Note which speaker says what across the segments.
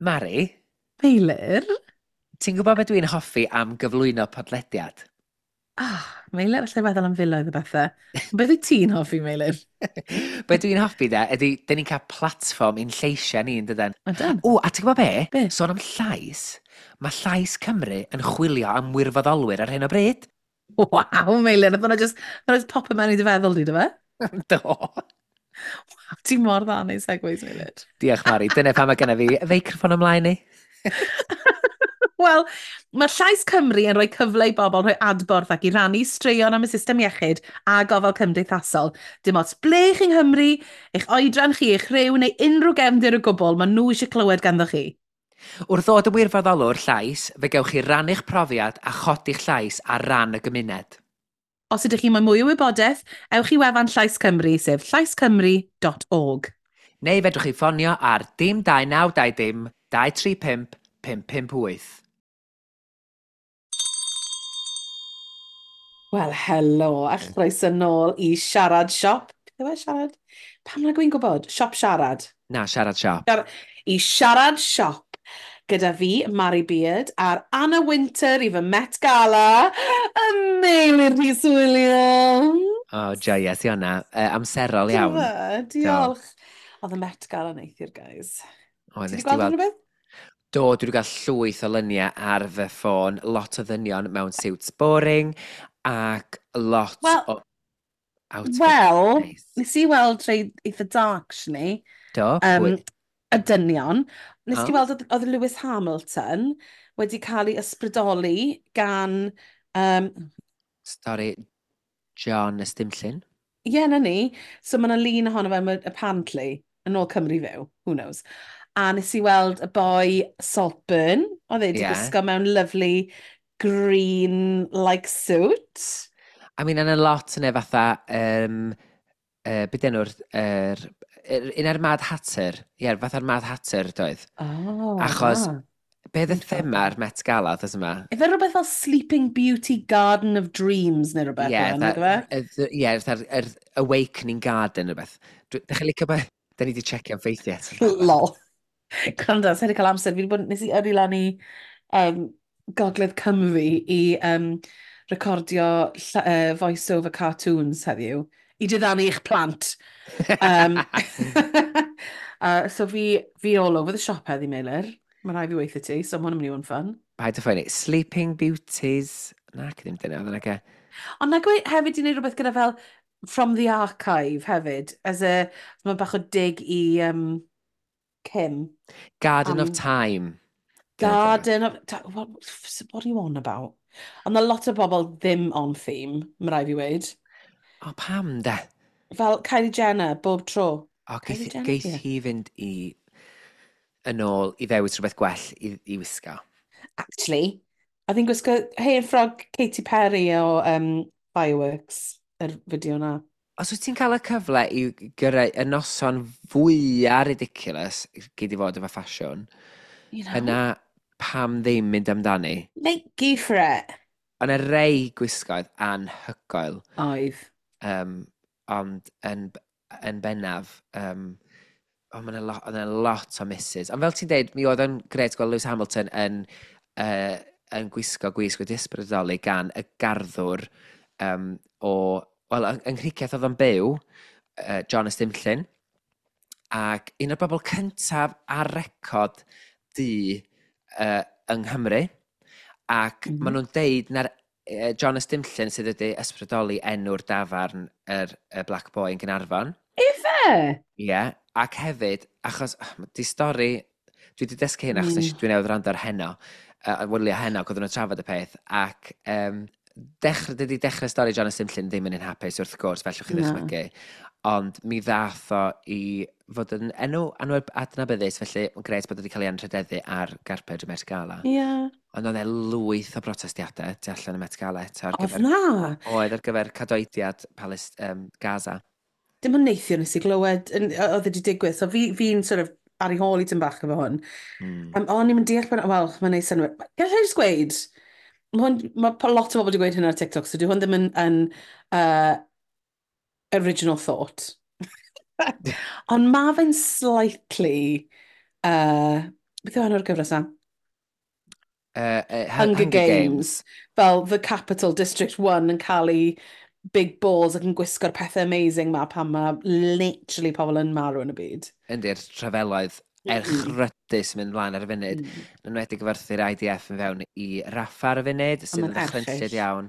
Speaker 1: Mari?
Speaker 2: Meilir?
Speaker 1: Ti'n gwybod beth dwi'n hoffi am gyflwyno podlediad?
Speaker 2: Ah, Meilir, allai feddwl am filoedd o bethau. Beth wyt ti'n hoffi, Meilir?
Speaker 1: Be dwi'n hoffi de, ydy, dyn ni'n cael platfform i'n lleisiau ni, yn dydan?
Speaker 2: Ydan.
Speaker 1: O, a ti'n gwybod be?
Speaker 2: Be?
Speaker 1: Sôn am llais, mae Llais Cymru yn chwilio am wirfoddolwyr ar hyn o bryd.
Speaker 2: Waw, Meilir, oedd hwnna just, hwnna just pop mewn i dy feddwl di, dy fe?
Speaker 1: Do.
Speaker 2: Waw, ti'n mor dda neud segues, Meilir.
Speaker 1: Diolch, Mari. Dyna pam mae genna fi feicroffon ymlaen i.
Speaker 2: Wel, mae Llais Cymru yn rhoi cyfle i bobl rhoi adborth ac i rannu straeon am y system iechyd a gofal cymdeithasol. Dim ots ble chi yng Nghymru, eich oedran chi, eich rhyw neu unrhyw gefndir o gwbl, maen nhw eisiau clywed ganddo chi.
Speaker 1: Wrth ddod yn wirfoddolwr llais, fe gewch chi rannu'ch profiad a chodi'ch llais ar ran y gymuned.
Speaker 2: Os ydych chi moyn mwy o wybodaeth, ewch i wefan Llais Cymru, sef llaiscymru.org.
Speaker 1: Neu fedrwch chi ffonio ar dim 2920 dim 235 558.
Speaker 2: Wel, helo, a chroeso nôl i Siarad Siop. Beth yw e, Siarad? Pam nag wy'n gwybod? Siop Siarad.
Speaker 1: Na, Siarad Siop.
Speaker 2: I Siarad Siop. Gyda fi, Mari Beard, a'r Anna Winter i fy Met Gala, y Meilir Rhys Williams.
Speaker 1: O, oh, joies i hwnna. Amserol iawn.
Speaker 2: Diolch. Oedd y Met Gala neithiwr, guys.
Speaker 1: O,
Speaker 2: Ti
Speaker 1: nes
Speaker 2: wedi
Speaker 1: di
Speaker 2: gweld
Speaker 1: weld...
Speaker 2: unrhyw beth?
Speaker 1: Do, dwi wedi cael llwyth o luniau ar fy ffôn, lot o ddynion mewn suits boring, ac lot
Speaker 2: Wel-
Speaker 1: o outfits
Speaker 2: Wel,
Speaker 1: nice.
Speaker 2: nes i weld rhai eitha dark, actually.
Speaker 1: Do, pwy?
Speaker 2: Y dynion. Nes
Speaker 1: O.
Speaker 2: ti weld oedd Lewis Hamilton wedi cael ei ysbrydoli gan...
Speaker 1: Stori John Ystumllyn.
Speaker 2: Ie, yeah, na ni. So mae yna lun ohono fe, apparently, yn ôl Cymru Fyw, who knows. A nes i weld y boi Saltburn, oedd e wedi gwisgo mewn lovely green-like suit.
Speaker 1: I mean, yna lot yna fatha, beth enw'r, un ar Mad Hatter, ie, yeah, fatha'r Mad Hatter doedd.
Speaker 2: Oh,
Speaker 1: Achos,
Speaker 2: na.
Speaker 1: Be oedd y
Speaker 2: Dwi'n
Speaker 1: thema'r Met Gala, oedd yma?
Speaker 2: Ife rhywbeth fel Sleeping Beauty Garden of Dreams neu rhywbeth?
Speaker 1: Ie,
Speaker 2: yeah,
Speaker 1: ie, fatha'r yr Awakening Garden rhywbeth. Dach chi'n licio be? Da ni wedi checio'n ffeithiau eto.
Speaker 2: Lol. Gwrando, sa i wedi cael amser. Fi wedi bod, nes i yrru lan i Gogledd Cymru i recordio voice-over cartoons heddiw. I diddanu eich plant. So fi all over the shop heddi, Meilir. Mae rhaid fi weithio ti, so mae hwn yn mynd i fod yn fun.
Speaker 1: Paid â phoeni. Sleeping Beauties. Na, ddim dyna, oedd yna ge.
Speaker 2: Ond na gwe hefyd i wneud rhywbeth gyda fel From the Archive hefyd, as a, mae bach o dig i Kim.
Speaker 1: Garden of Time.
Speaker 2: Garden of... What are you on about? Ond na lot o bobl ddim on theme, mae rhaid fi weud.
Speaker 1: O, pam de?
Speaker 2: Fel Kylie Jenner, bob tro.
Speaker 1: O,
Speaker 2: Kylie Jenner,
Speaker 1: geith
Speaker 2: ie.
Speaker 1: hi fynd i yn ôl i ddewis rhywbeth gwell i wisgo.
Speaker 2: Actually, oedd hi'n gwisgo hen ffrog Katy Perry o Fireworks, yr fideo na.
Speaker 1: Os wyt ti'n cael y cyfle i gyrraedd y noson fwyaf ridiculous gyd i fod efo ffasiwn,
Speaker 2: You know?
Speaker 1: yna pam ddim mynd amdani?
Speaker 2: Make go for it.
Speaker 1: Ond y rei gwisgoedd anhygoel.
Speaker 2: Oedd.
Speaker 1: Ond yn bennaf, oh, mae'n lot, oedd yna lot o misses. Ond fel ti'n deud, mi oedd yn gret gweld Lewis Hamilton yn gwisgo gwisg wedi ysbrydoli gan y garddwr o... Wel, yng Nghricieth oedd o'n byw, John Ystumllyn, ac un o'r bobl cyntaf ar record du yng Nghymru, ac maen nhw'n deud na'r John Ystumllyn sydd wedi ysbrydoli enw'r dafarn y Black Boy yn Gaernarfon.
Speaker 2: Ife?
Speaker 1: Ie, yeah, ac hefyd, achos di stori, dwi wedi dysgu hyn achos mm. Dwi newydd wrando ar heno, wylio heno, ac oedden nhw'n trafod y peth, ac dydy dechrau stori John Ystumllyn ddim yn un hapus wrth gwrs, fel chi ddychmygu, ond mi ddath o i fod yn enw adnabyddus, felly mae'n gret bod wedi cael ei anrhydeddu ar garped y Met Gala.
Speaker 2: Ie. Yeah.
Speaker 1: Ond oedd e lwyth o protestiadau tu allan y Met Gala eto.
Speaker 2: Oedd na?
Speaker 1: Oedd ar gyfer cadoediad Gaza.
Speaker 2: Dim ond neithiwr nes i glywed, oedd wedi digwydd, so fi'n sort of ar ei hôl i tyn bach efo hwn. O'n i'n deall, wel, mae'n neud synnwyr. Gallai jyst gweud, mae lot o bobl wedi gweud hyn ar TikTok, so dyw hwn ddim yn original thought. Ond mae fe'n slightly Beth yw enw'r gyfres na?
Speaker 1: Hunger, Hunger Games.
Speaker 2: Games. Fel The Capital District 1 yn cael ei big balls ac yn gwisgo'r pethau amazing ma pan mae literally pobl yn marw yn y byd.
Speaker 1: Ynddi'r trafeloedd erchrydus mynd mlaen ar y funud. Yn enwedig efo'r IDF yn fewn i Raffa ar y funud, sydd yn ddychrynllyd iawn.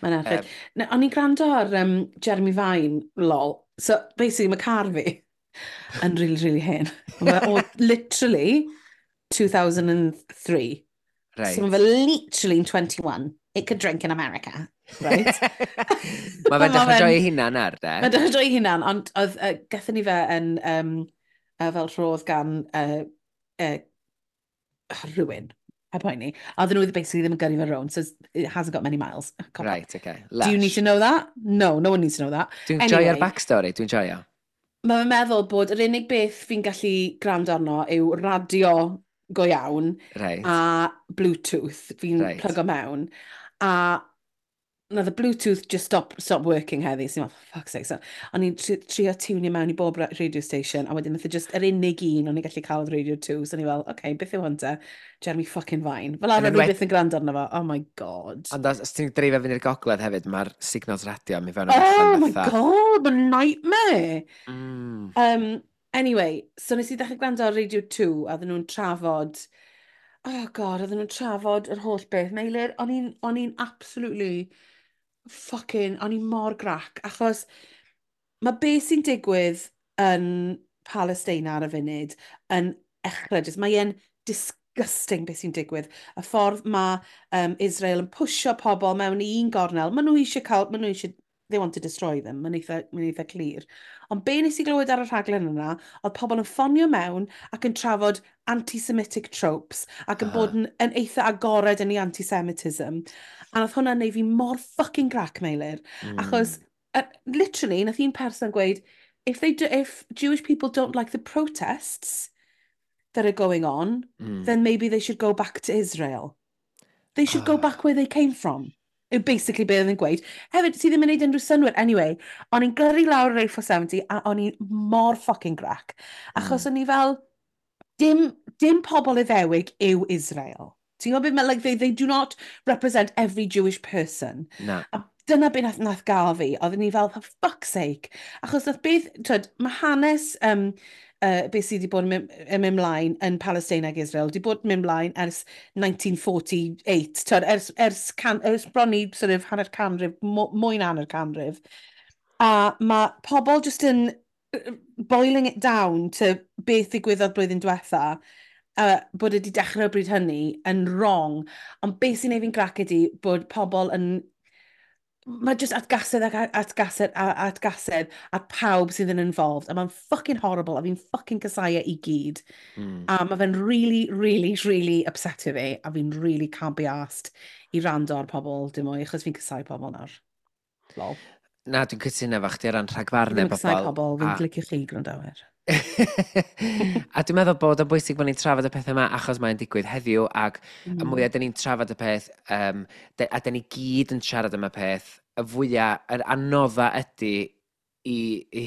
Speaker 2: Mae'n erchyll. O'n i'n gwrando ar Jeremy Vine, lol. So, basically, mae car fi yn really, really hen. Mae o, literally, 2003.
Speaker 1: Right.
Speaker 2: So mae fe literally 21. It could drink in America. Right?
Speaker 1: Mae fe'n dechrau joio hunan ar, de?
Speaker 2: Mae'n dechrau joio hunan, ond oedd, gathon ni fe yn fel rhodd gan rhywun, a poeni. A oedden nhw basically ddim yn gyrru fe rownd, so it hasn't got many miles.
Speaker 1: Cop right, okay.
Speaker 2: Lush. Do you need to know that? No, no one needs to know that.
Speaker 1: Dwi'n anyway, joio'r backstory, dwi'n joio.
Speaker 2: Mae fe'n meddwl bod yr unig beth fi'n gallu gwrando arno yw radio go iawn a Bluetooth fi'n plygo mewn. A nath y Bluetooth just stop working heddi. So, for fuck's sake. So, o'n i'n trio tiwnio mewn i bob radio station, a wedyn nath e just yr unig un o'n i'n gallu cael oedd Radio 2. So o'n i fel, okay, beth yw hwn te? Jeremy fucking Vine. Fel arfer fi byth yn gwrando arno fo. Oh my God.
Speaker 1: Ond os ti'n dreifio fyny i'r gogledd hefyd, mae'r signals radio mi fewn
Speaker 2: Oh my God, mae'n nightmare. Anyway, so nes i ddechrau gwrando ar Radio 2, a oedden nhw'n trafod... Oh God, oedden nhw'n trafod yr holl beth. Meilir, o'n i'n absolutely fucking, o'n i'n mor grac, achos mae beth sy'n digwydd yn Palestina ar y funud yn echrydus. Mae e'n disgusting beth sy'n digwydd. Y ffordd mae Israel yn pwysio pobl mewn i un gornel, maen nhw eisiau cael, maen nhw eisiau, they want to destroy them, mae'n eitha clir. Ond be nes i glywed ar y rhaglen yna, oedd pobl yn ffonio mewn ac yn trafod anti-Semitic tropes ac yn bod yn eitha agored yn ei anti-Semitism. A nath hwnna neud fi mor fucking grac, Meilir. Achos, literally, nath un person gweud, if Jewish people don't like the protests that are going on, then maybe they should go back to Israel. They should go back where they came from. Yw basically beth oedd yn gweud. Hefyd, sydd ddim yn neud unrhyw synnwyr. Anyway, o'n i'n gyrru lawr yr A470 a o'n i'n mor fucking grac. Achos o'n i fel, dim pobl Iddewig yw Israel. Ti'n gwybod beth, like, they do not represent every Jewish person.
Speaker 1: Na.
Speaker 2: A dyna beth nath gael fi. Oedden ni fel, for fuck's sake. Achos nath beth, twyd, mae hanes beth sydd wedi bod yn mynd mlaen yn Palestina ac Israel, wedi bod yn mynd mlaen ers 1948, twyd, ers bron i sort of hanner canrif, mwy na hanner canrif. A mae pobl just yn boiling it down to beth ddigwyddodd blwyddyn diwetha, bod wedi dechrau o bryd hynny yn wrong, ond beth sy'n neud fi'n grac ydi bod pobl yn... Mae just atgasedd ac atgasedd a atgasedd a pawb sydd yn involved. A mae'n fucking horrible a fi'n fucking casáu e i gyd. A mae fe'n really, really, really upset i fi. A fi'n really can't be arsed i rando ar pobl dim mwy, achos fi'n casáu pobl nawr. Lol.
Speaker 1: Na, dwi'n cytuno efo chdi o ran rhagfarnau
Speaker 2: Fi'n
Speaker 1: pobl.
Speaker 2: casáu pobl, fi'n licio chi gwrandawyr.
Speaker 1: A dwi'n meddwl bod o'n bwysig bod ni'n trafod y pethau yma achos mae'n digwydd heddiw ac y mwyaf dyn ni'n trafod y peth a dyn ni gyd yn siarad am y peth, y fwyaf, yr anodda ydy i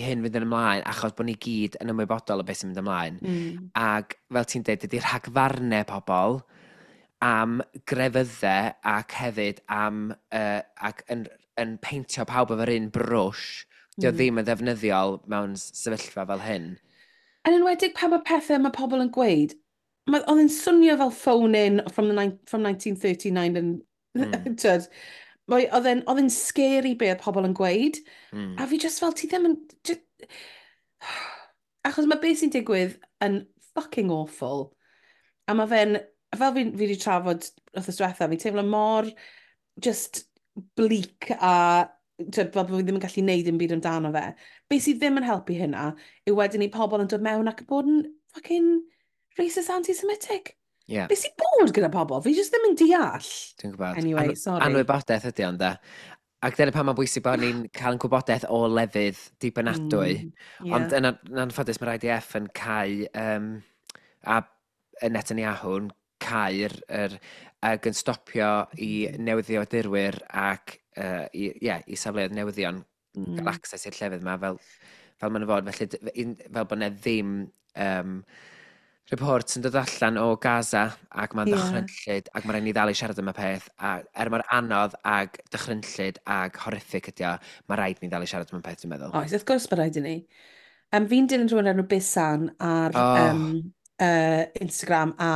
Speaker 1: hyn fynd yn ymlaen achos bod ni gyd yn ymwybodol o beth sy'n mynd ymlaen. Ac fel ti'n dweud, dydy rhagfarnau pobl am grefyddau ac hefyd am ac yn peintio pawb efo'r un brwsh, dio ddim yn ddefnyddiol mewn sefyllfa fel hyn.
Speaker 2: Yn enwedig pan mae pethau mae pobl yn gweud, oedd yn swnio fel phone-in from 1939 and, tyd, oedd e'n scary be oedd pobl yn gweud. A fi just fel, ti ddim yn... Just, achos mae beth sy'n digwydd yn fucking awful. A mae fe'n, fel fi wedi trafod wrth diwetha, fi'n teimlo mor just bleak a tyd, fel bod fi ddim yn gallu neud dim byd amdano fe. Be sydd ddim yn helpu hynna yw wedyn ni pobl yn dod mewn ac yn bod yn fucking racist anti-Semitic.
Speaker 1: Yeah.
Speaker 2: Be sy'n bod gyda pobl? Fi just ddim yn deall.
Speaker 1: Dwi'n gwybod.
Speaker 2: Anyway, sorry.
Speaker 1: Anwybodaeth ydy ond, de. Ac dyna pan mae'n bwysig bod ni'n cael yn gwybodaeth o lefydd dibynadwy. Ond yn anffodus mae'r IDF yn cau, a Netanyahu'n cau'r ac yn stopio i newyddiadurwyr ac i safleoedd newyddion gael access i'r llefydd yma fel maen nhw fod. Felly, fel bod 'na ddim Report yn dod allan o Gaza ac mae'n ddychrynllyd ac mae'n rhaid ni ddal i siarad am y peth a er mor anodd ag dychrynllyd ag horrific ydi o, mae rhaid ni ddal i siarad am y peth, dwi'n meddwl.
Speaker 2: Oes, wrth gwrs mae rhaid i ni. Fi'n dilyn rhywun enw Bisan ar Instagram a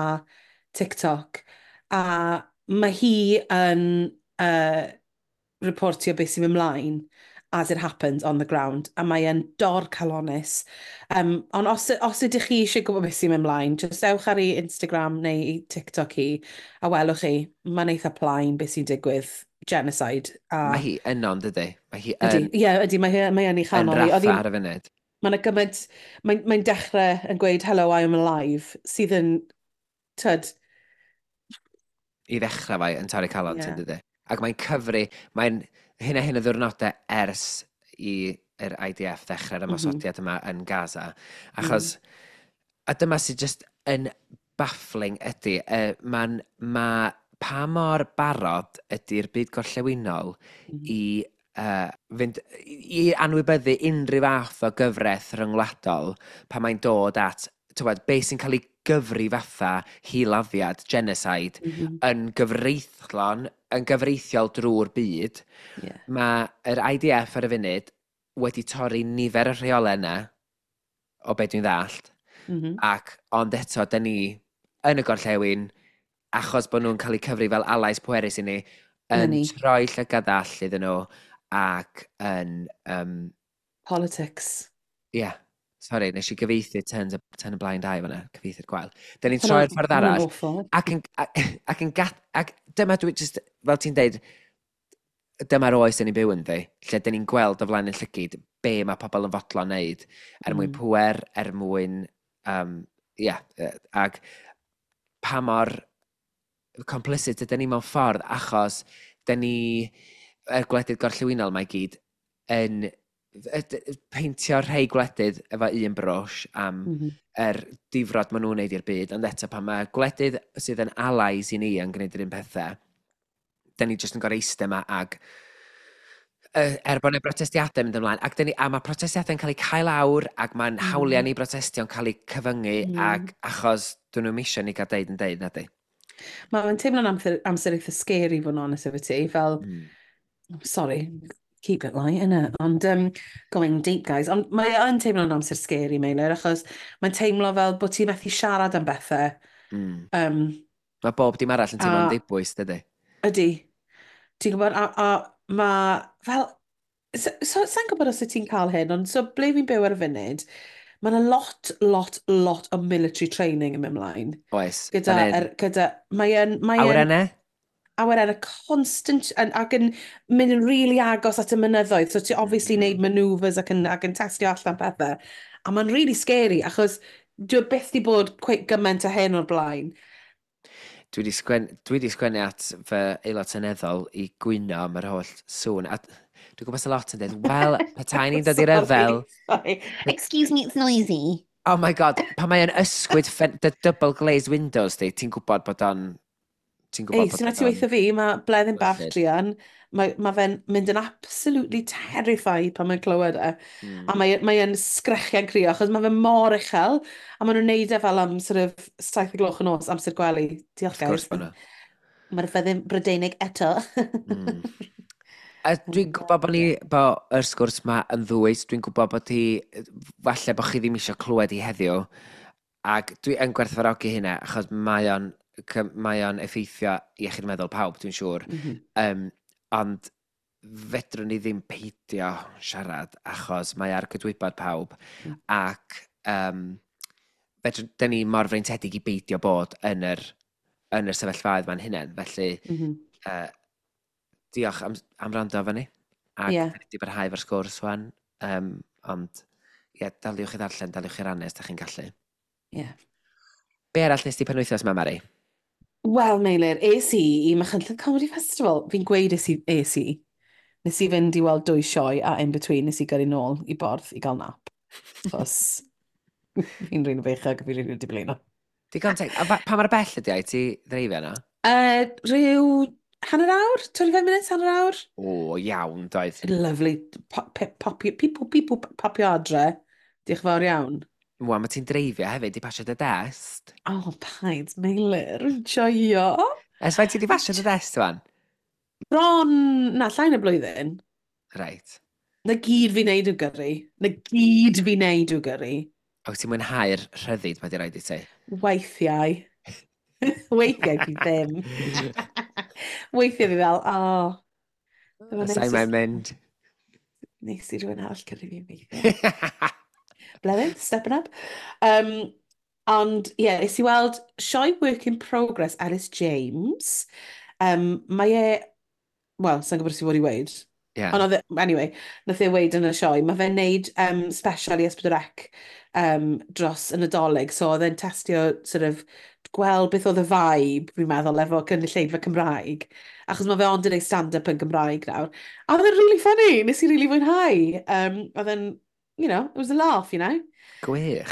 Speaker 2: TikTok, a mae hi yn reportio beth sy'n mynd mlaen as it happens on the ground, a mae e'n dorcalonnus. Ond os ydych chi eisiau gwybod beth sy'n mynd mlaen, just ewch ar ei Instagram neu ei TikTok hi, a welwch chi, mae'n eitha plaen beth sy'n digwydd, genocide. A
Speaker 1: Mae hi yno, yn dydy? Mae hi
Speaker 2: Ydy,
Speaker 1: yn,
Speaker 2: ie, ydy, mae yn ei
Speaker 1: yn
Speaker 2: chanol hi.
Speaker 1: Raffa ar y funud.
Speaker 2: Mae'n gymaint, mae'n dechrau yn gweud, "Hello, I am alive," sydd yn, tyd,
Speaker 1: I ddechrau fai yn torri calon, ti'n dydy? Ac mae'n cyfri, mae'n hyn a hyn o ddiwrnodau ers i'r IDF ddechrau'r ymosodiad yma yn Gaza. Achos, a dyma sydd just yn baffling ydy, ma pa mor barod ydy'r byd gorllewinol i fynd, i anwybyddu unrhyw fath o gyfraith rhyngwladol pan mae'n dod at, tywed, beth sy'n cael ei gyfri fatha hiladdiad, genocide, yn gyfreithlon, yn gyfreithiol drwy'r byd. Mae'r IDF ar y funud wedi torri nifer y rheolau yna, o be dwi'n ddallt, ac ond eto, dyn ni yn y gorllewin, achos bod nhw'n cael eu cyfri fel allies pwerus i ni,
Speaker 2: Na
Speaker 1: yn
Speaker 2: ni.
Speaker 1: troi llygad ddall iddyn nhw, ac yn,
Speaker 2: Politics.
Speaker 1: Ie, yeah, sorry, nes i gyfieithu turn a blind eye fan'na, cyfieithu'r gwael. Dyn ni'n troi'r ffordd
Speaker 2: Hwnna'n
Speaker 1: arall,
Speaker 2: awful.
Speaker 1: ac, yn, ac, ac, yn gat, ac dyma dwi just, fel ti'n deud, dyma'r oes dyn ni'n byw ynddi, lle dyn ni'n gweld o flaen yn llygid be mae pobl yn fodlon wneud, er mwyn pwer, er mwyn, yeah, ac pa mor complicit ydyn ni mewn ffordd, achos dyn ni, yr gwledydd gorllewinol mae gyd, yn peintio rhai gwledydd efo un brwsh am yr difrod maen nhw'n wneud i'r byd, ond eto pan mae gwledydd sydd yn allies i ni yn gwneud yr un pethau, dyn ni jyst yn gorau eistedd yma ag er bod yna brotestiadau mynd ymlaen, ac dyn ni, a mae protestiadau'n cael eu cael awr, ac mae'n hawliau ni brotestio'n cael eu cyfyngu, ac achos dyn nhw'n misio ni gael deud yn deud, na di.
Speaker 2: Mae'n teimlo'n amser eitha scary, fod yn honest efo ti, fel, sorry, keep it light, innit? Ond, going deep, guys. Ond mae yn teimlo'n amser scary, Meilir, achos mae'n teimlo fel bod ti'n methu siarad am bethau.
Speaker 1: Mae bob dim arall yn teimlo'n dibwys, dydy?
Speaker 2: Ydy. Ti'n gwybod, a mae fel. So, sa'n gwybod os wyt ti'n cael hyn, ond so ble fi'n byw ar y funud, mae yna lot, lot, lot o military training yn mynd mlaen.
Speaker 1: Oes.
Speaker 2: Gyda,
Speaker 1: Fan hyn.
Speaker 2: er, gyda, mae yn,
Speaker 1: Awyrennau?
Speaker 2: Awyrennau constant, ac yn mynd yn really agos at y mynyddoedd. So ti obviously neud manoeuvres ac yn testio allan pethau. A mae'n really scary, achos dwi byth di bod quite gymaint o hyn o'r blaen.
Speaker 1: Dwi wedi sgwennu at fy aelod seneddol i gwyno am yr holl sŵn. A dwi'n gwybod sa lot yn dweud, wel, petai ni'n dod i'r ryfel.
Speaker 2: Sorry. Excuse me, it's noisy.
Speaker 1: Oh my God, pan mae yn ysgwyd dy double glazed windows di, ti'n gwybod bod o'n. Ti'n gwybod
Speaker 2: Ei,
Speaker 1: bod
Speaker 2: sy'n ti
Speaker 1: o'n
Speaker 2: weithio fi, mae Bleddyn bach
Speaker 1: Gwerthu'r.
Speaker 2: druan, mae fe'n mynd yn absolutely terrified pan mae'n clywed e. A mae sgrechian crio, achos mae fe mor uchel, a maen nhw'n neud e fel am sort of 7 o gloch y nos, amser gwely. Diolch,
Speaker 1: Wrth gwrs
Speaker 2: guys.
Speaker 1: bod nhw.
Speaker 2: Mae'r fyddin Brydeinig eto.
Speaker 1: A dwi'n gwybod bod ni, bod yr sgwrs ma yn ddwys, dwi'n gwybod bod hi, falle bod chi ddim eisiau clywed i heddiw, ac dwi yn gwerthfawrogi hynna, achos mae o'n effeithio iechyd meddwl pawb, dwi'n siŵr. Ond fedrwn ni ddim peidio siarad, achos mae ar gydwybod pawb, ac fedrwn, dyn ni mor freintiedig i beidio bod yn yr sefyllfaoedd ma'n hunain, felly diolch am wrando efo ni. Ac yeah, wedi barhau efo'r sgwrs wan. Ond, ie, yeah, daliwch i ddarllen, daliwch i rannu os da chi'n gallu. Be arall nes ti penwythnos yma, Mari?
Speaker 2: Wel, Meilir, es i i Machynlleth Comedy Festival. Fi'n gweud es i, es i. Nes i fynd i weld dwy sioe a in between nes i gyrru nôl i Borth i gael nap. Chos fi'n rili feichog a fi'n rili wedi blino.
Speaker 1: Digon teg. A pa mor bell ydi ai ti ddreifio yna?
Speaker 2: Rhyw hanner awr? 25 minutes, hanner awr?
Speaker 1: O, iawn, doedd.
Speaker 2: Lovely. Popio, pip, pip, popio adre. Diolch yn fawr iawn.
Speaker 1: Wel, mae ti'n dreifio hefyd i pasio dy dest.
Speaker 2: Oh, paid, Meilir, joio.
Speaker 1: Ers faint ti di pasio dy dest, wan?
Speaker 2: Bron, na, llai na blwyddyn.
Speaker 1: Right.
Speaker 2: Na gyd fi'n neud yw gyrru. Na gyd fi'n neud yw gyrru.
Speaker 1: O, ti'n mwynhau'r rhyddid mae di roid i ti?
Speaker 2: Weithiau. Weithiau fi ddim. Weithiau fi fel, oh.
Speaker 1: Sa'i mae'n mynd.
Speaker 2: Nes i rhywun arall gyrru fi weithiau. Blevin, stepping up. Ond, ie, yeah, nes i weld sioe Work in Progress Alice James. Mae e, wel, sa'n gwybod os i fod i weud.
Speaker 1: Yeah.
Speaker 2: Ond oedd, anyway, nath e weud yn y sioe, mae fe'n neud special i S4C dros y Nadolig, so oedd e'n testio sort of, gweld beth oedd y vibe, fi'n meddwl, efo cynulleidfa Cymraeg. Achos mae fe ond yn ei stand-up yn Gymraeg nawr. A oedd e'n really funny, nes i really fwynhau. Oedd e'n, it was a laugh, you know.
Speaker 1: Gwych.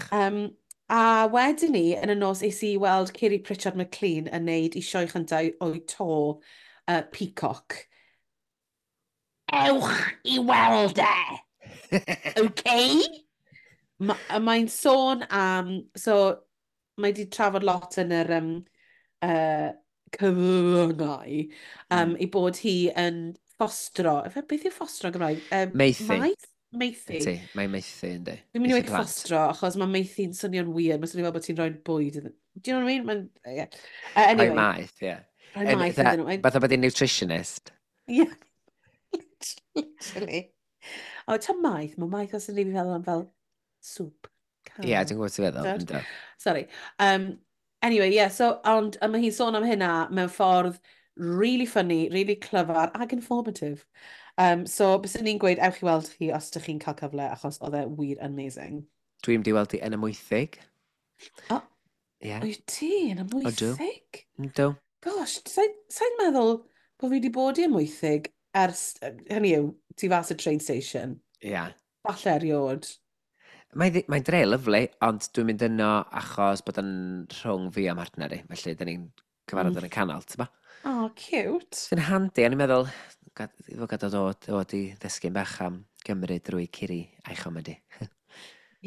Speaker 2: A wedyn ni, yn y nos, es i weld Kiri Pritchard McLean yn neud i sioe chyntaf o'i to Peacock. Ewch i weld e! Okay? Mae'n sôn am... So, mae di trafod lot yn yr cyfryngau ei bod hi yn ffostro. Efe, beth yw ffostro yn Gymraeg?
Speaker 1: Maethu.
Speaker 2: Maeth? Maethu.
Speaker 1: Ti, mae'n maethu, yndi.
Speaker 2: Dwi'n mynd i
Speaker 1: Maethu
Speaker 2: weud
Speaker 1: plant.
Speaker 2: ffostro, achos mae maethu'n swnio'n weird. Mae'n swnio fel bod ti'n rhoi bwyd iddyn. Do you know what I mean? Mae'n, yeah. Anyway.
Speaker 1: Rhoi maeth, ie.
Speaker 2: Rhoi maeth iddyn nhw.
Speaker 1: Fatha bod hi'n nutritionist.
Speaker 2: Yeah. Literally. O, ta maeth, mae maeth os yn rili feddwl am fel sŵp.
Speaker 1: Ie, yeah, dwi'n gwybod ti'n feddwl.
Speaker 2: Dod?
Speaker 1: Yndw.
Speaker 2: Sorry. Anyway, yeah, so, ond a mae hi'n sôn am hynna mewn ffordd really funny, really clyfar ac informative. So, byswn ni'n gweud, ewch i weld chi os ydych chi'n cael cyfle, achos oedd e wir amazing.
Speaker 1: Dwi'n mynd i weld hi yn y Mwythig.
Speaker 2: O,
Speaker 1: Ie.
Speaker 2: wyt ti yn y
Speaker 1: Ydw.
Speaker 2: Mwythig?
Speaker 1: Yndw.
Speaker 2: Gosh, sa'n meddwl bod fi wedi bod i Amwythig ers, hynny yw, tu fas y train station.
Speaker 1: Ie.
Speaker 2: Falle erioed.
Speaker 1: Mae'n mae dre lyfli, ond dwi'n mynd yno achos bod yn rhwng fi a mhartner i. Felly, dyn ni'n cyfarfod yn y canol, ti'n ba?
Speaker 2: Oh, cute.
Speaker 1: Sy'n handi, a ni'n meddwl, fod gadael dod i ddysgu'n bach am Gymru drwy Ciri a'i chomedi.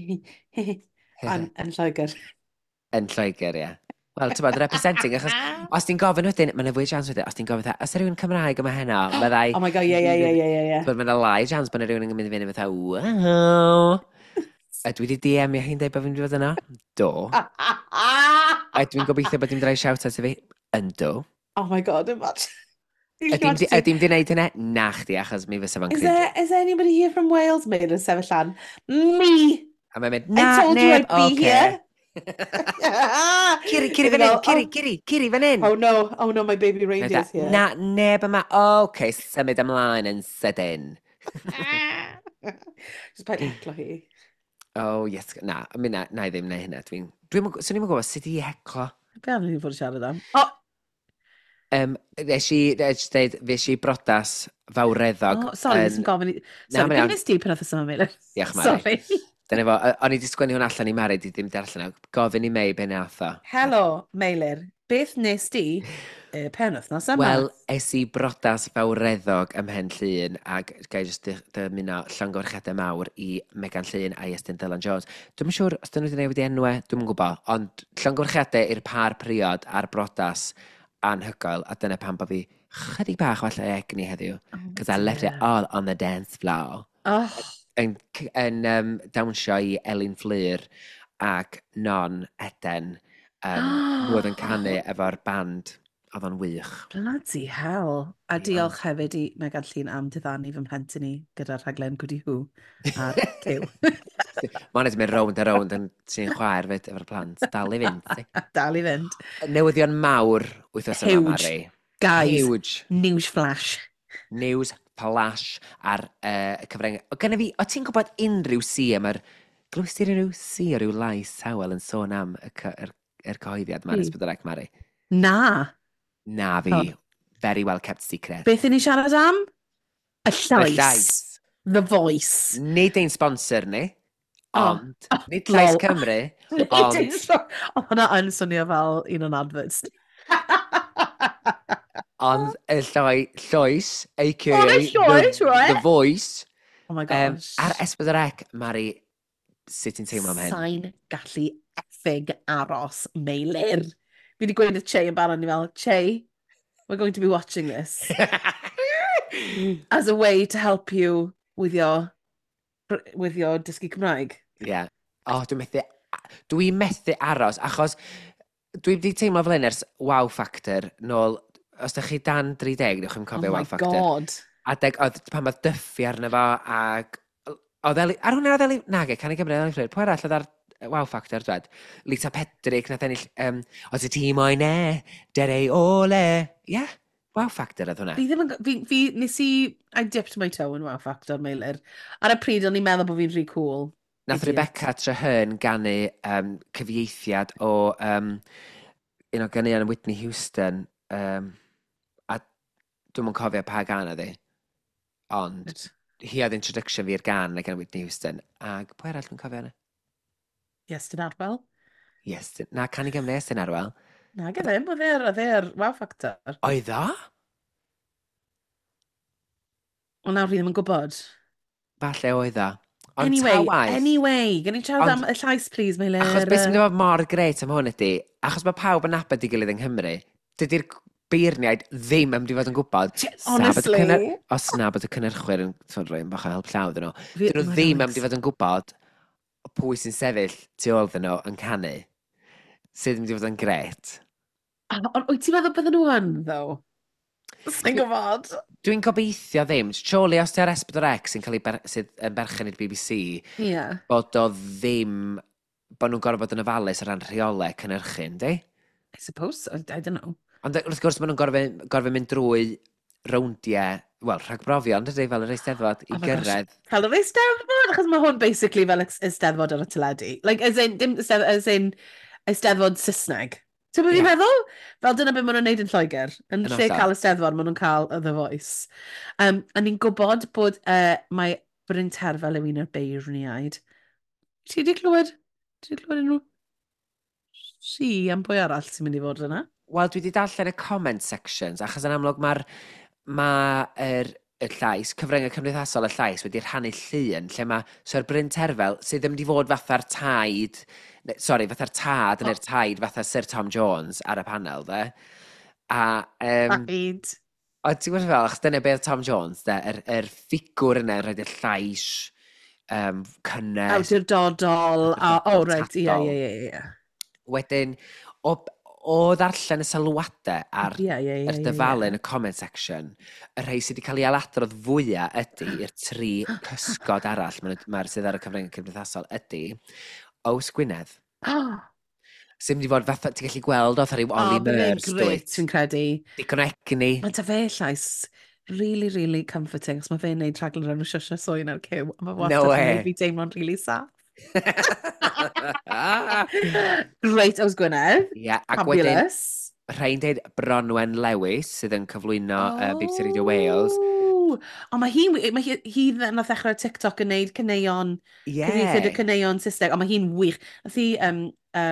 Speaker 2: Yn Lloegr.
Speaker 1: Yn Lloegr, ie. Wel, ti'n bod, representing, achos os ti'n gofyn wedyn, mae'n fwy chance wedyn, os ti'n gofyn, os yw rhywun Cymraeg yma heno, byddai...
Speaker 2: Oh my God, ie.
Speaker 1: Ti'n mae'n lai chance bod yna rhywun yn mynd i fynd fatha, wow. A dwi wedi DM-io hi'n dweud bod fi'n mynd i fod yno? Do. A dwi'n gobeithio bod hi'n mynd i roi shout-out i fi? Yndw.
Speaker 2: Oh my God, imagine.
Speaker 1: Ydy'm di wneud hynna? Na chdi, achos mi fysa fo'n
Speaker 2: Is
Speaker 1: cringe.
Speaker 2: there anybody here from Wales? Mae'n yn sefyll lan. Me!
Speaker 1: A mae'n mynd,
Speaker 2: I
Speaker 1: na,
Speaker 2: told you
Speaker 1: neb,
Speaker 2: I'd be
Speaker 1: oce.
Speaker 2: here.
Speaker 1: Ciri, Ciri fan hyn, Ciri, Ciri, Ciri fan hyn.
Speaker 2: Oh no, oh no, my baby reindeer's here.
Speaker 1: Na, neb yma, oce, symud ymlaen yn sydyn.
Speaker 2: Just paid heclo hi.
Speaker 1: Oh, yes, na, mi na, na i ddim neu hynna. Dwi'n, swn i'm yn gwybod sut i heclo.
Speaker 2: Be am ni fod yn siarad am? Oh!
Speaker 1: Nes i, nes i dweud, fues i brodas fawreddog.
Speaker 2: Oh, sorry, nes i'n gofyn i...
Speaker 1: Na,
Speaker 2: Sorry,
Speaker 1: mae'n
Speaker 2: beth
Speaker 1: iawn.
Speaker 2: nes ti pen wythnos yma, Meilir?
Speaker 1: Diolch, Mari.
Speaker 2: Sorry.
Speaker 1: Dyna fo, o'n i wedi sgwennu hwn allan i Mari, di ddim darllen o. Gofyn i Mei be nath o.
Speaker 2: Helo, Meilir. Beth nes ti y pen wythnos yma?
Speaker 1: Wel, es i brodas fawreddog ym Mhen Llŷn ac ga i jyst dymuno llongyfarchiadau mawr i Megan Llŷn a Iestyn Dylan Jones. Dwi'm yn siŵr os dyn nhw wedi newid i enwau, dwi'm yn gwybod, ond llongyfarchiadau i'r par priod a'r brodas anhygoel, a dyna pam bod fi chydig bach falle egni heddiw,
Speaker 2: Oh,
Speaker 1: cos I left it
Speaker 2: dear.
Speaker 1: all on the dance floor.
Speaker 2: Oh,
Speaker 1: Yn dawnsio i Elin Fflur ac Non Eden, nhw oedd yn canu efo'r band, oedd o'n wych.
Speaker 2: Bloody hell. A
Speaker 1: Ie.
Speaker 2: diolch hefyd i Megan Llŷn am diddanu fy mhlentyn i gyda'r rhaglen Gwdi Hw ar Cyw.
Speaker 1: Mae hwnna wedi mynd rownd a rownd yn sy'n chwaer fyd efo'r plant. Dal i fynd. ti.
Speaker 2: Dal i fynd.
Speaker 1: Newyddion mawr wythnos yma,
Speaker 2: Huge.
Speaker 1: Mari.
Speaker 2: Guys,
Speaker 1: Huge.
Speaker 2: news flash.
Speaker 1: News flash ar y cyfryngau. O, gynna fi, o ti'n gwybod unrhyw si am yr... Glywys ti unrhyw si o ryw lais tawel yn sôn am y, yr cyhoeddiad ma'n S4C, Mari?
Speaker 2: Na.
Speaker 1: Na fi.
Speaker 2: Oh.
Speaker 1: Very well kept secret.
Speaker 2: Beth i ni siarad am? Y
Speaker 1: Y
Speaker 2: llais.
Speaker 1: llais.
Speaker 2: The voice.
Speaker 1: Nid ein sponsor ni,
Speaker 2: Oh.
Speaker 1: ond nid Llais
Speaker 2: Lol.
Speaker 1: Cymru,
Speaker 2: Nid
Speaker 1: ond
Speaker 2: ein Oedd hwnna yn swnio fel un o'n adverts.
Speaker 1: ond y llais, a.k.a.
Speaker 2: Ond y llais,
Speaker 1: the,
Speaker 2: right?
Speaker 1: the voice.
Speaker 2: Oh my gosh.
Speaker 1: Ar S4C, Mari, Sut ti'n teimlo am hyn?
Speaker 2: Sa'n gallu effing aros, Meilir. Fi wedi gweud wrth Che yn barod, ni fel, "Che, we're going to be watching this as a way to help you with your dysgu Cymraeg."
Speaker 1: Ie. Yeah. O, oh, dwi'n methu aros, achos dwi wedi teimlo fel hyn ers Wow Factor nôl, os ydych chi dan 30, newch chi'n
Speaker 2: Oh
Speaker 1: cofio
Speaker 2: my
Speaker 1: Wow Factor.
Speaker 2: God.
Speaker 1: Adeg, oedd pan oedd Duffy arno fo, ac oedd Eli, ar hwnna oedd Eli, nage, Cân i Gymru, Elin Fflur, pwy arall oedd ar Wow Factor, dwed? Lisa Pedrick, nath ennill, "Os y ti moyn e, dere ole." Ie, yeah, Wow Factor oedd hwnna.
Speaker 2: Fi ddim yn... Fi, nes i... I dipped my toe in Wow Factor, Meilir. Ar y pryd, o'n i'n meddwl bod fi'n rhy cool.
Speaker 1: Nath
Speaker 2: Idiot.
Speaker 1: Rebecca Treherne ganu cyfieithiad o un o ganeuon Whitney Houston, a dwi'm yn cofio pa gan oedd hi, ond hi oedd introduction fi i'r gan gan Whitney Houston. Ac pwy arall dwi'n cofio yna?
Speaker 2: Iestyn Arwel.
Speaker 1: Yes, na, Cân i Gymru, Iestyn Arwel.
Speaker 2: Na, gyda ddim, oedd e ar Wow Factor.
Speaker 1: Oedd o?
Speaker 2: Ond nawr fi ddim yn gwybod.
Speaker 1: Falle oedd o. Ond
Speaker 2: Anyway,
Speaker 1: ta waeth,
Speaker 2: anyway, gen i siarad am y llais, please, Meilir.
Speaker 1: Achos beth sy'n mynd i fod mor grêt am hwn ydy, achos mae pawb yn nabod ei gilydd yng Nghymru, dydy'r beirniaid ddim yn mynd i fod yn gwybod. Sa bod y
Speaker 2: Honestly.
Speaker 1: Os na bod y cynhyrchwyr yn sort rhoi bach o help llaw iddyn nhw, dyn nhw
Speaker 2: Oh my
Speaker 1: ddim yn
Speaker 2: God.
Speaker 1: mynd i fod yn gwybod pwy sy'n sefyll tu ôl iddyn nhw yn canu. Sydd yn mynd i fod yn grêt.
Speaker 2: Ond wyt ti'n meddwl bydden nhw yn, though? Sa'n gwybod.
Speaker 1: Dwi'n gobeithio ddim. Surely os ti ar S4C sy'n cael ei sydd yn berchen i'r BBC, bod o ddim, bod nhw'n gorfod bod yn ofalus o ran rheolau cynhyrchu, yndi?
Speaker 2: I suppose so, I don't know.
Speaker 1: Ond wrth gwrs, maen nhw'n gorfod mynd drwy rowndiau, wel, rhagbrofion, dydy, fel yr Eisteddfod, i
Speaker 2: Oh my gosh.
Speaker 1: gyrraedd.
Speaker 2: Fel yr Eisteddfod, achos mae hwn basically fel Eisteddfod ar y teledu. Like, as in, dim Eisteddfod, as in, Eisteddfod Saesneg. Ti'n beth
Speaker 1: Ie.
Speaker 2: fi'n meddwl? Fel dyna beth maen nhw'n neud yn Lloegr. Yn
Speaker 1: Yn
Speaker 2: lle
Speaker 1: hollol.
Speaker 2: cael Eisteddfod, maen nhw'n cael The Voice. A ni'n gwybod bod mae Bryn Terfel yw un o'r beirniaid. Ti wedi clywed? Ti wedi clywed unrhyw si am pwy arall sy'n mynd i fod yna?
Speaker 1: Wel, dwi wedi darllen y comment sections, achos yn amlwg mae'r ma y llais, cyfryngau cymdeithasol y llais wedi rhannu llun lle mae Sir Bryn Terfel, sydd ddim wedi fod fatha'r taid, sorry, fatha'r tad neu'r taid fatha Sir Tom Jones ar y panel, de. A,
Speaker 2: Taid.
Speaker 1: o, ti'n gwybod fel, achos dyna beth Tom Jones, de, yr ffigwr yna, rhaid i'r llais, cynnes,
Speaker 2: Awdurdodol. A, oh, right, ie,
Speaker 1: tadol.
Speaker 2: ie.
Speaker 1: Wedyn, o ddarllen y sylwadau ar
Speaker 2: Ie, ie, ie.
Speaker 1: yr dyfalu yn y comment section, y rhai sydd wedi cael ei ailadrodd fwyaf ydy i'r tri cysgod arall mae'r sydd ar y cyfryngau cymdeithasol ydy Ows Gwynedd. Sy'n mynd i fod fatha, ti'n gallu gweld oedd rhyw Ollie
Speaker 2: Oh, bydde'n
Speaker 1: Murs,
Speaker 2: grêt,
Speaker 1: dwyt?
Speaker 2: fi'n credu.
Speaker 1: Digon o egni.
Speaker 2: Mae 'da fe llais really, really comforting, achos mae fe'n neud rhaglen o'r enw Shwsh Swy'n ar Cyw, a mae wastad
Speaker 1: No
Speaker 2: yn
Speaker 1: way.
Speaker 2: neud fi teimlo'n really saff. Great, Ows Gwynedd.
Speaker 1: Ie, ac wedyn,
Speaker 2: Fabulous.
Speaker 1: rhai'n deud Bronwen Lewis, sydd yn cyflwyno BBC Radio Wales.
Speaker 2: Oh. Ond mae hi nath ddechrau TikTok yn neud caneuon,
Speaker 1: Ie.
Speaker 2: cyfieithiad y caneuon Saesneg, ond mae hi'n wych. Nath hi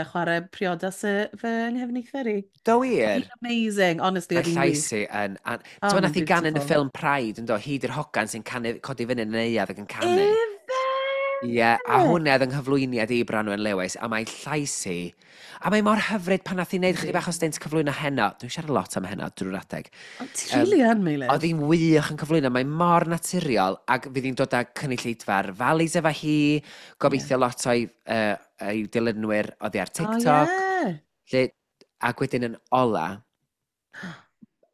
Speaker 2: chwarae priodas fy nghefnither i.
Speaker 1: Do wir?
Speaker 2: Hi'n amazing, honestly,
Speaker 1: Mae
Speaker 2: oedd hi'n wych.
Speaker 1: llais hi yn...
Speaker 2: Oh,
Speaker 1: Ti'n nath
Speaker 2: mae'n
Speaker 1: hi gan yn y
Speaker 2: beautiful.
Speaker 1: ffilm Pride, yn do, hi di'r hogan sy'n canu, codi fyny yn y neuadd ac yn canu.
Speaker 2: Ife?
Speaker 1: Ie, a hwnna oedd yng nghyflwyniad i Branwen Lewis, a mae llais hi, a mae mor hyfryd pan nath hi wneud chydig bach o stint cyflwyno heno. Dwi'n siarad lot am heno drwy'r adeg.
Speaker 2: Ond ti really yn, Meilir.
Speaker 1: Oedd hi'n wych yn cyflwyno, mae mor naturiol, ac fydd hi'n dod â cynulleidfa'r valleys efo hi, gobeithio lot o'i dilynwyr oddi ar TikTok.
Speaker 2: Oh, yeah.
Speaker 1: Lle, ac wedyn yn ola,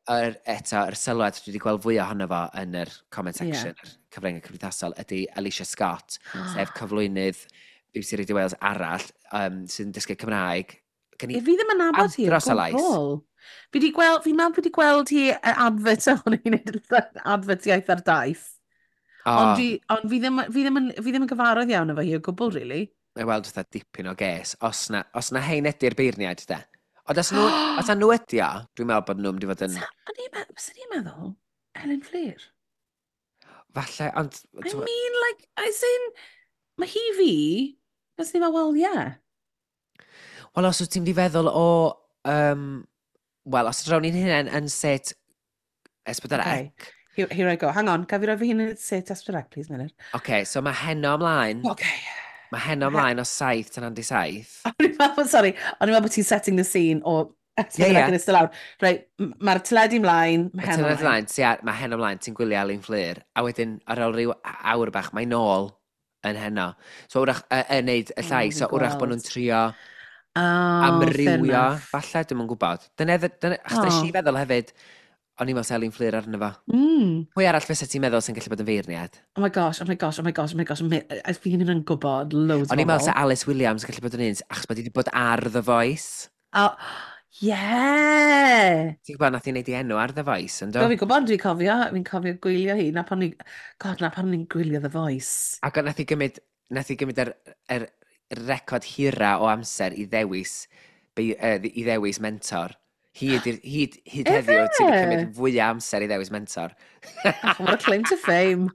Speaker 1: eto, yr sylwad dwi wedi gweld fwy ohono fo yn yr comment section, yeah, yr cyfryngau cymdeithasol, ydy Alicia Scott, sef cyflwynydd BBC Radio Wales arall, sy'n dysgu Cymraeg. Gen i
Speaker 2: Fi ddim yn nabod hi o
Speaker 1: andros o lais.
Speaker 2: gwbl. Fi di gweld, fi'n meddwl fi di gweld hi advert o'n i'n neud advert iaith ar daith.
Speaker 1: O,
Speaker 2: Ond, ond fi ddim yn gyfarwydd iawn efo hi o gwbl, really.
Speaker 1: Mae weld fatha dipyn o ges. Os na hein ydy'r beirniaid, de. Ond os na nhw ydi o, dwi'n meddwl bod nhw'n mynd i fod yn
Speaker 2: Fysa ni'n meddwl, Elin Fflur.
Speaker 1: Falle, ond
Speaker 2: I mean, like, as in, mae hi fi, fysa ni'n meddwl, well, yeah.
Speaker 1: Wel, os wyt ti'n mynd i feddwl o... Wel, os drawn ni'n hynny yn set S4C.
Speaker 2: Okay. Here I go. Hang on, gaf fi roi fy hun yn set S4C, please, Meilir?
Speaker 1: Okay, so mae heno ymlaen.
Speaker 2: Okay.
Speaker 1: Mae heno ymlaen o 7 tan 7.
Speaker 2: O'n i'n meddwl, sorry, o'n i'n meddwl bod ti'n setting the scene o
Speaker 1: Ie, ie.
Speaker 2: Yn eistedd lawr. Reit, mae'r teledu ymlaen, mae
Speaker 1: Mae
Speaker 2: heno
Speaker 1: teledu
Speaker 2: ymlaen.
Speaker 1: ymlaen, ti ar, mae heno ymlaen, ti'n gwylio Alun Fflur, a wedyn ar ôl rhyw awr bach, mae nôl yn heno. So wrach, yn neud y
Speaker 2: O,
Speaker 1: llais,
Speaker 2: fi'n
Speaker 1: so wrach bod nhw'n
Speaker 2: gweld.
Speaker 1: trio
Speaker 2: Oh, fair
Speaker 1: amrywio,
Speaker 2: enough.
Speaker 1: falle, dwi'm yn gwybod. Dyna, dyna, achos nes
Speaker 2: Oh.
Speaker 1: i feddwl hefyd, o'n i'n meddwl se Alun Fflur arno fo. Pwy arall fysa ti'n meddwl sy'n gallu bod yn feirniad?
Speaker 2: Oh my gosh, oh my gosh, oh my gosh, oh my gosh. Fi ddim yn gwybod loads o
Speaker 1: O'n i'n meddwl
Speaker 2: bobl.
Speaker 1: se Alice Williams yn gallu bod yn un, achos bod hi wedi bod ar The Voice.
Speaker 2: Oh, yeah!
Speaker 1: Ti'n gwybod, nath hi wneud ei enw ar The Voice, yn
Speaker 2: Do,
Speaker 1: do?
Speaker 2: fi'n gwybod, dwi'n cofio, fi'n cofio gwylio hi. Na pan ni, God, na pan ni'n gwylio The Voice.
Speaker 1: Ac nath hi gymryd yr record hira o amser i ddewis mentor. Hyd heddiw, ti wedi
Speaker 2: Ife?
Speaker 1: cymryd fwy o amser i ddewis mentor.
Speaker 2: Oh, what a claim to fame.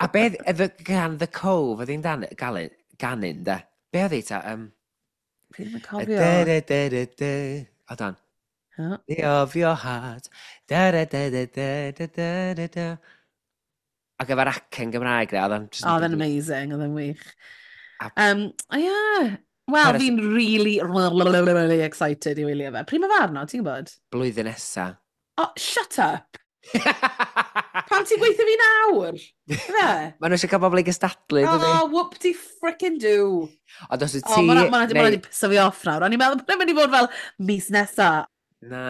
Speaker 1: A beth, gan The Cove, oedd hi'n dan, galun, ganun, da? Be oedd hi ta?
Speaker 2: Fi ddim yn cofio.
Speaker 1: Da, da, da, da, da. Hold on.
Speaker 2: Huh?
Speaker 1: The of your heart. Da, da, da, da, da, da, da, da, da. Ac efo'r acen Gymraeg, de, oedd o'n just
Speaker 2: Oh, oedd e'n amazing, oedd e'n wych. Oh, yeah. Wel,
Speaker 1: Paris-
Speaker 2: fi'n really, really, really excited i wylio fe. Pryd mae fe arno, ti'n gwybod?
Speaker 1: Blwyddyn nesa.
Speaker 2: Oh, shut up! Pam ti'n gweithio fi nawr? Fe?
Speaker 1: Maen nhw eisiau cael bobl i gystadlu, dydy?
Speaker 2: Oh, whoop-de frickin' do.
Speaker 1: Ond os wyt
Speaker 2: Oh,
Speaker 1: ti
Speaker 2: mae'n
Speaker 1: neu
Speaker 2: di piso fi off nawr. O'n i'n meddwl bod e'n mynd i fod fel mis nesa.
Speaker 1: Na.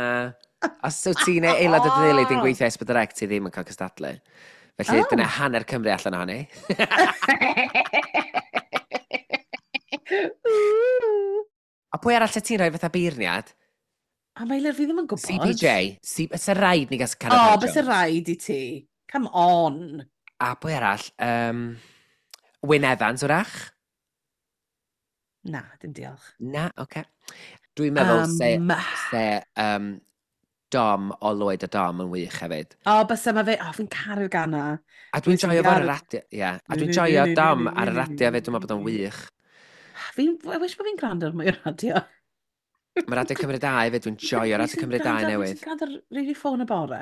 Speaker 1: Os wyt ti neu aelod o dy deulu di'n gweithio S4C, ti ddim yn cael cystadlu. Felly
Speaker 2: Oh.
Speaker 1: dyna hanner Cymru allan ohoni.
Speaker 2: Ooh.
Speaker 1: A pwy arall ti'n rhoi fatha beirniad?
Speaker 2: A Meilir, fi ddim yn gwybod.
Speaker 1: CPJ. C Bysa rhaid ni gael Cara
Speaker 2: O,
Speaker 1: Jones.
Speaker 2: bys y rhaid i ti. Come on.
Speaker 1: A pwy arall? Wyn Evans, wrach?
Speaker 2: Na, dim diolch.
Speaker 1: Na, oce. Okay. Dwi'n meddwl se Dom o Lloyd a Dom yn wych hefyd.
Speaker 2: O, bysa ma fe. O, fi'n caru'r gana.
Speaker 1: A dwi'n
Speaker 2: Dwi'n
Speaker 1: joio fo ar y radio. Ie. A dwi'n joio Dom ar y radio hefyd, dwi'n meddwl bod o'n wych.
Speaker 2: I wish bod fi'n gwrando ar mwy o radio.
Speaker 1: Mae Radio Cymru 2 hefyd, dwi'n joio Radio Cymru 2 newydd.
Speaker 2: Fi'n gwrando ar really ffôn y bore,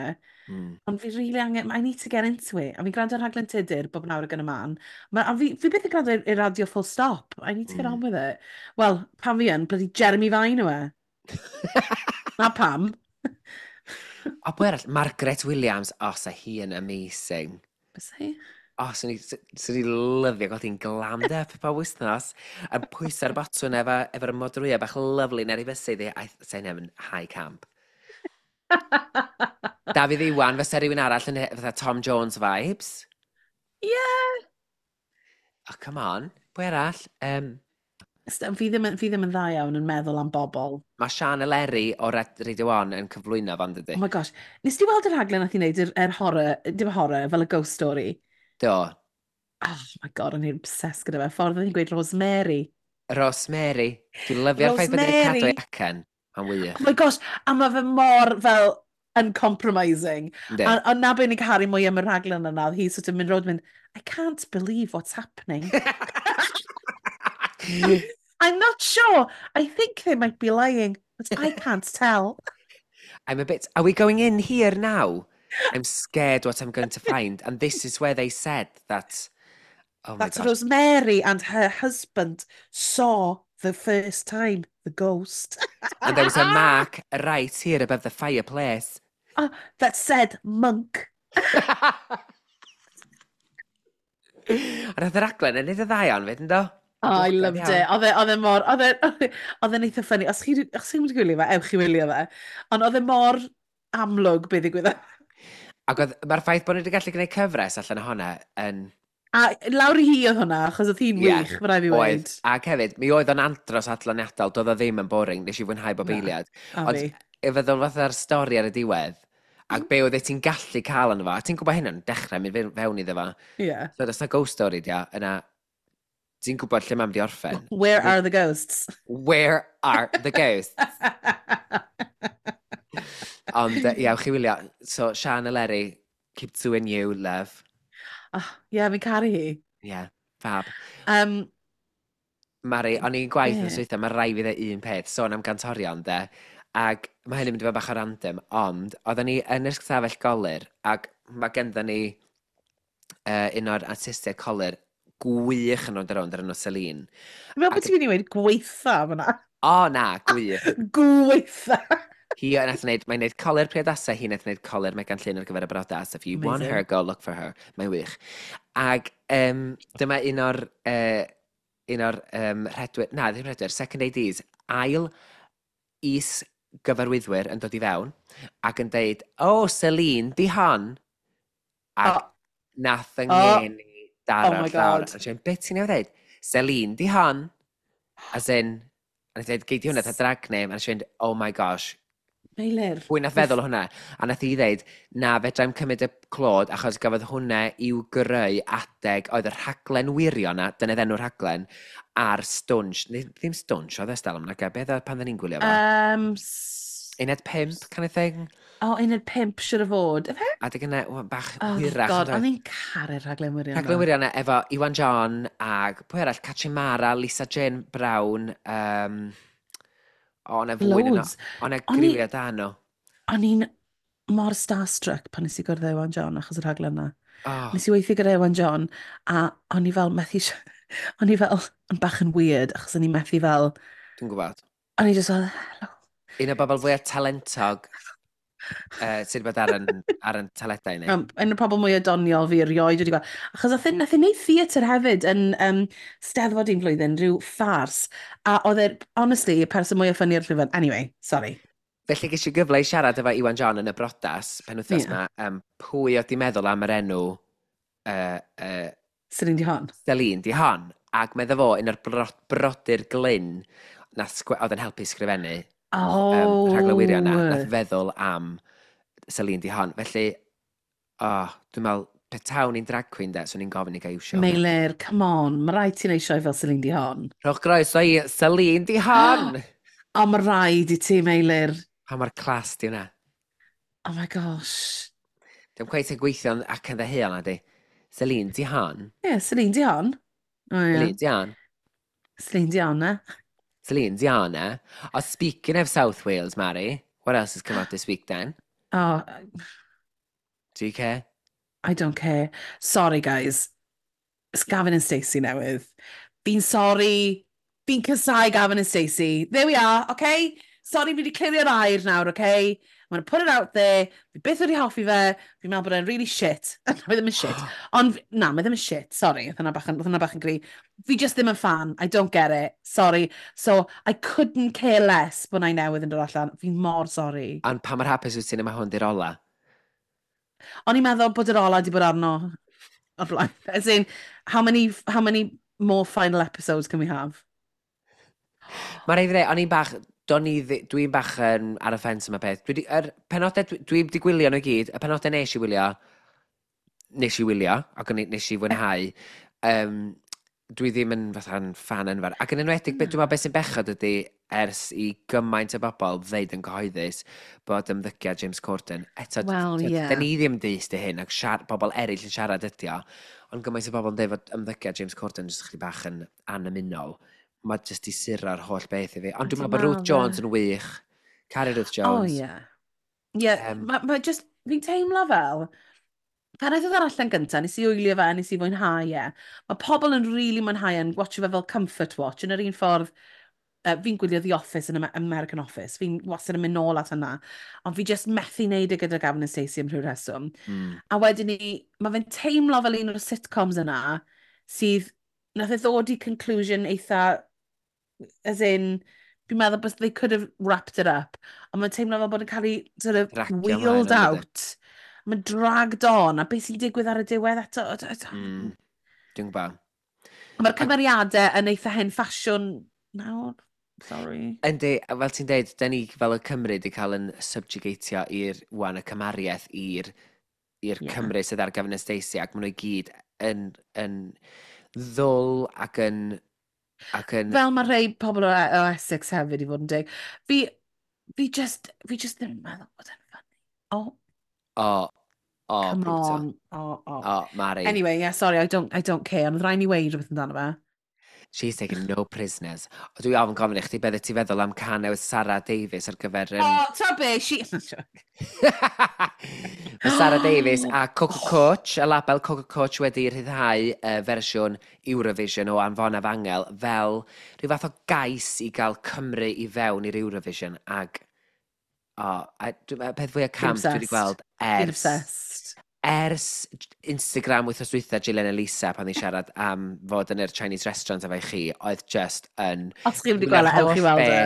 Speaker 2: ond fi really angen, I need to get into it. A fi'n gwrando ar rhaglen Tudur bob nawr ag yn y man. A fi byth yn gwrando i'r radio full stop. I need to get on with it. Wel, pan fi yn, bloody Jeremy Vine yw e. Na pam.
Speaker 1: O, pwy arall? Margaret Williams. O, sa hi yn amazing.
Speaker 2: Bys hi?
Speaker 1: O, swn i lyfio gweld hi'n glammed up pob wythnos. A pwyso'r botwn efo'r modrwyau bach lyfli ar ei fysydd hi. I sa'n yn high camp. Dafydd Iwan, fysa rhywun arall yn fatha Tom Jones vibes.
Speaker 2: Yeah.
Speaker 1: Oh, come on. Pwy arall?
Speaker 2: Fi ddim yn dda iawn yn meddwl am bobl.
Speaker 1: Mae Sian Eleri o Radio 1 yn cyflwyno fan, dydy.
Speaker 2: Oh my gosh. Nes ti weld y rhaglen nath i wneud yr horror, dim horror, fel y ghost story?
Speaker 1: Do.
Speaker 2: Oh my God, o'n i'n obsessed gyda fe. Ffordd oedd hi'n gweud Rosemary.
Speaker 1: Rosemary. Dwi'n lyfio'r ffaith bod wedi cadw
Speaker 2: Rosemary.
Speaker 1: ei acen. Mae'n wych.
Speaker 2: Oh my gosh, a mae fe mor fel uncompromising.
Speaker 1: Yndi.
Speaker 2: A na be ni'n caru mwy am y rhaglen yna, oedd hi sort of mynd rownd mynd, "I can't believe what's happening. I'm not sure. I think they might be lying, but I can't tell."
Speaker 1: I'm a bit. Are we going in here now? I'm scared what I'm going to find. And this is where they said that. Oh my
Speaker 2: That
Speaker 1: gosh.
Speaker 2: Rosemary and her husband saw the first time the ghost.
Speaker 1: And there was a mark right here above the fireplace.
Speaker 2: Oh, that said "monk."
Speaker 1: A nath y raglen yn neud y ddau iawn fyd, yndo?
Speaker 2: Oh, I loved it. Oedd e mor, oedd e'n eitha funny. Os chi'n mynd i gwylio fe, ewch i wylio fe. Ond oedd e mor amlwg beth ddigwyddodd.
Speaker 1: Ac oedd, mae'r ffaith bod nhw wedi gallu gwneud cyfres allan o honna yn
Speaker 2: A lawr i hi oedd hwnna, achos oedd hi'n
Speaker 1: Ie,
Speaker 2: wych, mae rhaid fi
Speaker 1: oedd.
Speaker 2: weud.
Speaker 1: Ac hefyd, mi oedd o'n andros adloniadol, doedd o ddim yn boring, nes i fwynhau bob
Speaker 2: Na,
Speaker 1: eiliad.
Speaker 2: a
Speaker 1: Ond
Speaker 2: fi.
Speaker 1: i feddwl fatha'r stori ar y diwedd, ac be oedd ti'n gallu cael yno fo, a ti'n gwybod hyn yn dechrau mynd fewn iddo fo. So, os na ghost story di o, yna, ti'n gwybod lle mae'n mynd i orffen.
Speaker 2: Where are the ghosts?
Speaker 1: Where are the ghosts? Ond, ie, ewch i wylio. So, Sian Eleri, keep doing you, love.
Speaker 2: Oh, yeah, fi'n caru hi.
Speaker 1: Yeah, fab. Mari, o'n i'n gwaith yn swytha, mae rai fi ddeud un peth, sôn am gantorion, de, ac mae hyn yn mynd i fod bach o random, ond oedden ni yn yr stafell golur, ac mae genddo ni un o'r artistiaid colur gwych yn Rownd a Rownd ar enw Celine.
Speaker 2: Dwi'n meddwl bod ti'n mynd i weud gweitha fyna.
Speaker 1: O, na, gwych.
Speaker 2: Gweitha!
Speaker 1: Hi nath wneud, mae'n wneud colur priodasau, hi nath wneud colur Megan Llŷn ar gyfer y brodas. If you want her, go look for her. Mae'n wych. Ac dyma un o'r rhedwyr, na, ddim rhedwyr, second ADs, ail is gyfarwyddwyr yn dod i fewn ac yn deud, "Oh, Celine, di hon." Ac nath yng ngeni daro'r llawr. A si'n, "Beth ti'n ei ddeud?" "Celine, di hon." As in, a nath dweud, "Gei di hwnna ta drag name." A si'n, "Oh my gosh."
Speaker 2: Meilir.
Speaker 1: Pwy nath feddwl o hwnna? A nath hi ddeud, "Na, fedrai'm cymryd y clod, achos gafodd hwnna i'w greu adeg oedd y rhaglen wirion na, dyna enw'r rhaglen, ar Stwnsh." Neu, ddim Stwnsh, oedd e stalwm, naga, beth oedd pan ddyn ni'n gwylio fo? Uned 5, kind of thing?
Speaker 2: O, oh, uned 5 siwr o fod. Efe?
Speaker 1: Adeg yna, bach oh, hwyrach.
Speaker 2: God, o'n i'n caru'r rhaglen wirion.
Speaker 1: Rhaglen wirion efo Iwan John ag pwy arall, Catrin Mara, Lisa Jane Brown, o, na fwy yno. O, na griwiau da nhw.
Speaker 2: O'n i'n mor starstruck pan nes i gwrdd Iwan John achos y rhaglen yna. Oh. Nes i weithio gyda Iwan John a o'n i fel methu... O'n i fel yn bach yn weird achos o'n i methu fel...
Speaker 1: Dwi'n gwybod.
Speaker 2: O'n i just fel, "Hello."
Speaker 1: Un o bobl fwyaf talentog sydd wedi bod ar yn teledau ni.
Speaker 2: Un o'r pobl mwyaf doniol fi erioed wedi gweld. Achos nath e wneud theatr hefyd yn Steddfod un flwyddyn, rhyw ffars. A oedd e, honestly, y person mwyaf funny ar llwyfan. Anyway, sorry.
Speaker 1: Felly ges i gyfle i siarad efo Iwan John yn y brodas penwythnos yma. Pwy oedd di meddwl am yr enw
Speaker 2: Celine Dion?
Speaker 1: Celine Dion. Ac medda fo, un o'r brodyr Glyn, nath oedd yn helpu sgrifennu rhaglen wirion na, nath feddwl am Celine Dion. Felly, oh, dwi'n meddwl, petawn i'n drag queen de, swn i'n gofyn i gael iwsio.
Speaker 2: Meilir, come on, mae rhaid ti'n eisiau fel Celine Dion.
Speaker 1: Rhowch groeso i Celine Dion!
Speaker 2: O, mae rhaid i ti, Meilir.
Speaker 1: Pa mor class di hwnna?
Speaker 2: Oh my gosh.
Speaker 1: Dwi'n cweith yn gweithio ac yn ddeheuol na di. Celine Dion.
Speaker 2: Ie, yeah, Celine Dion.
Speaker 1: Oh, yeah. Celine Dion.
Speaker 2: Celine Dion, eh?
Speaker 1: Celine Dion, eh? Oh, speaking of South Wales, Mary, what else has come out this week then?
Speaker 2: Oh.
Speaker 1: Do you care?
Speaker 2: I don't care. Sorry, guys. It's Gavin and Stacey newydd. Fi'n sorry. Fi'n casau Gavin and Stacey. There we are, okay? Sorry, fi wedi clirio'r air nawr, okay? I'm going to put it out there. Fi byth wedi hoffi fe. Fi'n meddwl bod e'n really shit. Mae ddim yn shit. Ond, na, mae ddim yn shit. Sorry, oedd hwnna bach yn gry. Fi just ddim yn fan. I don't get it. Sorry. So, I couldn't care less bod na'i newydd yn dod allan. Fi'n mor sorry.
Speaker 1: Ond pa mor hapus wyt ti'n yma hwn di'r ola?
Speaker 2: O'n i'n meddwl bod yr ola di bod arno o'r blaen. As in, how many more final episodes can we have?
Speaker 1: Mae'n rhaid i ddweud, o'n i'n bach, do'n i, dwi'n bach yn ar y ffens yma peth. Yr penodau, dwi wedi gwylio nhw i gyd, y penodau nes i wylio, nes i wylio, ac nes i fwynhau. Dwi ddim yn fatha'n fan enfawr. Ac yn enwedig, dwi'n meddwl beth sy'n bechod ydy ers i gymaint o bobl ddeud yn gyhoeddus bod ymddygiad James Corden. Eto,
Speaker 2: Wel, ie.
Speaker 1: da ni ddim dyst i hyn, ac bobl eraill yn siarad ydi o, ond gymaint o bobl yn dweud fod ymddygiad James Corden jyst chydig bach yn anymunol. Mae jyst i suro'r holl beth i fi. Ond dwi'n meddwl bod Ruth Jones yn wych. Caru Ruth Jones.
Speaker 2: Oh, ie. Ie, ma just, fi'n teimlo fel, pan aeth o allan gyntaf, nes i wylio fe, nes i fwynhau e. Mae pobl yn really mwynhau e'n watcho fe fel comfort watch, yn yr un ffordd, fi'n gwylio The Office yn American Office, fi'n wastad yn mynd nôl at hynna, ond fi just methu wneud e gyda Gavin and Stacey am rhyw reswm. A wedyn ni, mae fe'n teimlo fel un o'r sitcoms yna, sydd, nath e ddod i conclusion eitha, as in, fi'n meddwl bod they could have wrapped it up, ond mae'n teimlo fel bod yn cael ei sort of
Speaker 1: Dragio ymlaen,
Speaker 2: wheeled
Speaker 1: yn dydi?
Speaker 2: out. Mae'n dragged on, a beth sy'n digwydd ar y diwedd eto?
Speaker 1: Dwi'n gwybod.
Speaker 2: Mae'r cymeriadau yn eitha hen ffasiwn nawr. Sorry.
Speaker 1: Yndi, a fel ti'n deud, da ni fel y Cymru wedi cael yn subjugatio i'r wan y cymariaeth i'r Cymru sydd ar Gavin and Stacey, ac maen nhw i gyd yn ddwl ac yn
Speaker 2: Fel mae rhai pobl o Essex hefyd, i fod yn deg. Fi just ddim yn meddwl bod e'n funny. Oh,
Speaker 1: O,
Speaker 2: come
Speaker 1: brutal.
Speaker 2: on. Oh.
Speaker 1: O, Mari.
Speaker 2: Anyway, yeah, sorry, I don't care. Ond rhaid ni weud rhywbeth amdano fe.
Speaker 1: She's taking no prisoners. O, dwi ofn gofyn i chdi beth ti'n feddwl am cân newydd Sara Davies ar gyfer...
Speaker 2: O, ta be, she...
Speaker 1: Mae Sara Davies a Coco Coach, y label Coco Coach wedi rhyddhau fersiwn Eurovision o Anfonaf Angel fel rhyw fath o gais i gael Cymru i fewn i'r Eurovision ag o, a peth fwyaf camp dwi wedi gweld
Speaker 2: Fi'n
Speaker 1: ers
Speaker 2: obsessed.
Speaker 1: Ers Instagram wythnos dwytha Gillian Elisa pan ni siarad am fod yn yr Chinese restaurant efo chi, oedd just yn...
Speaker 2: Os chi wedi gweld e, ewch i weld e.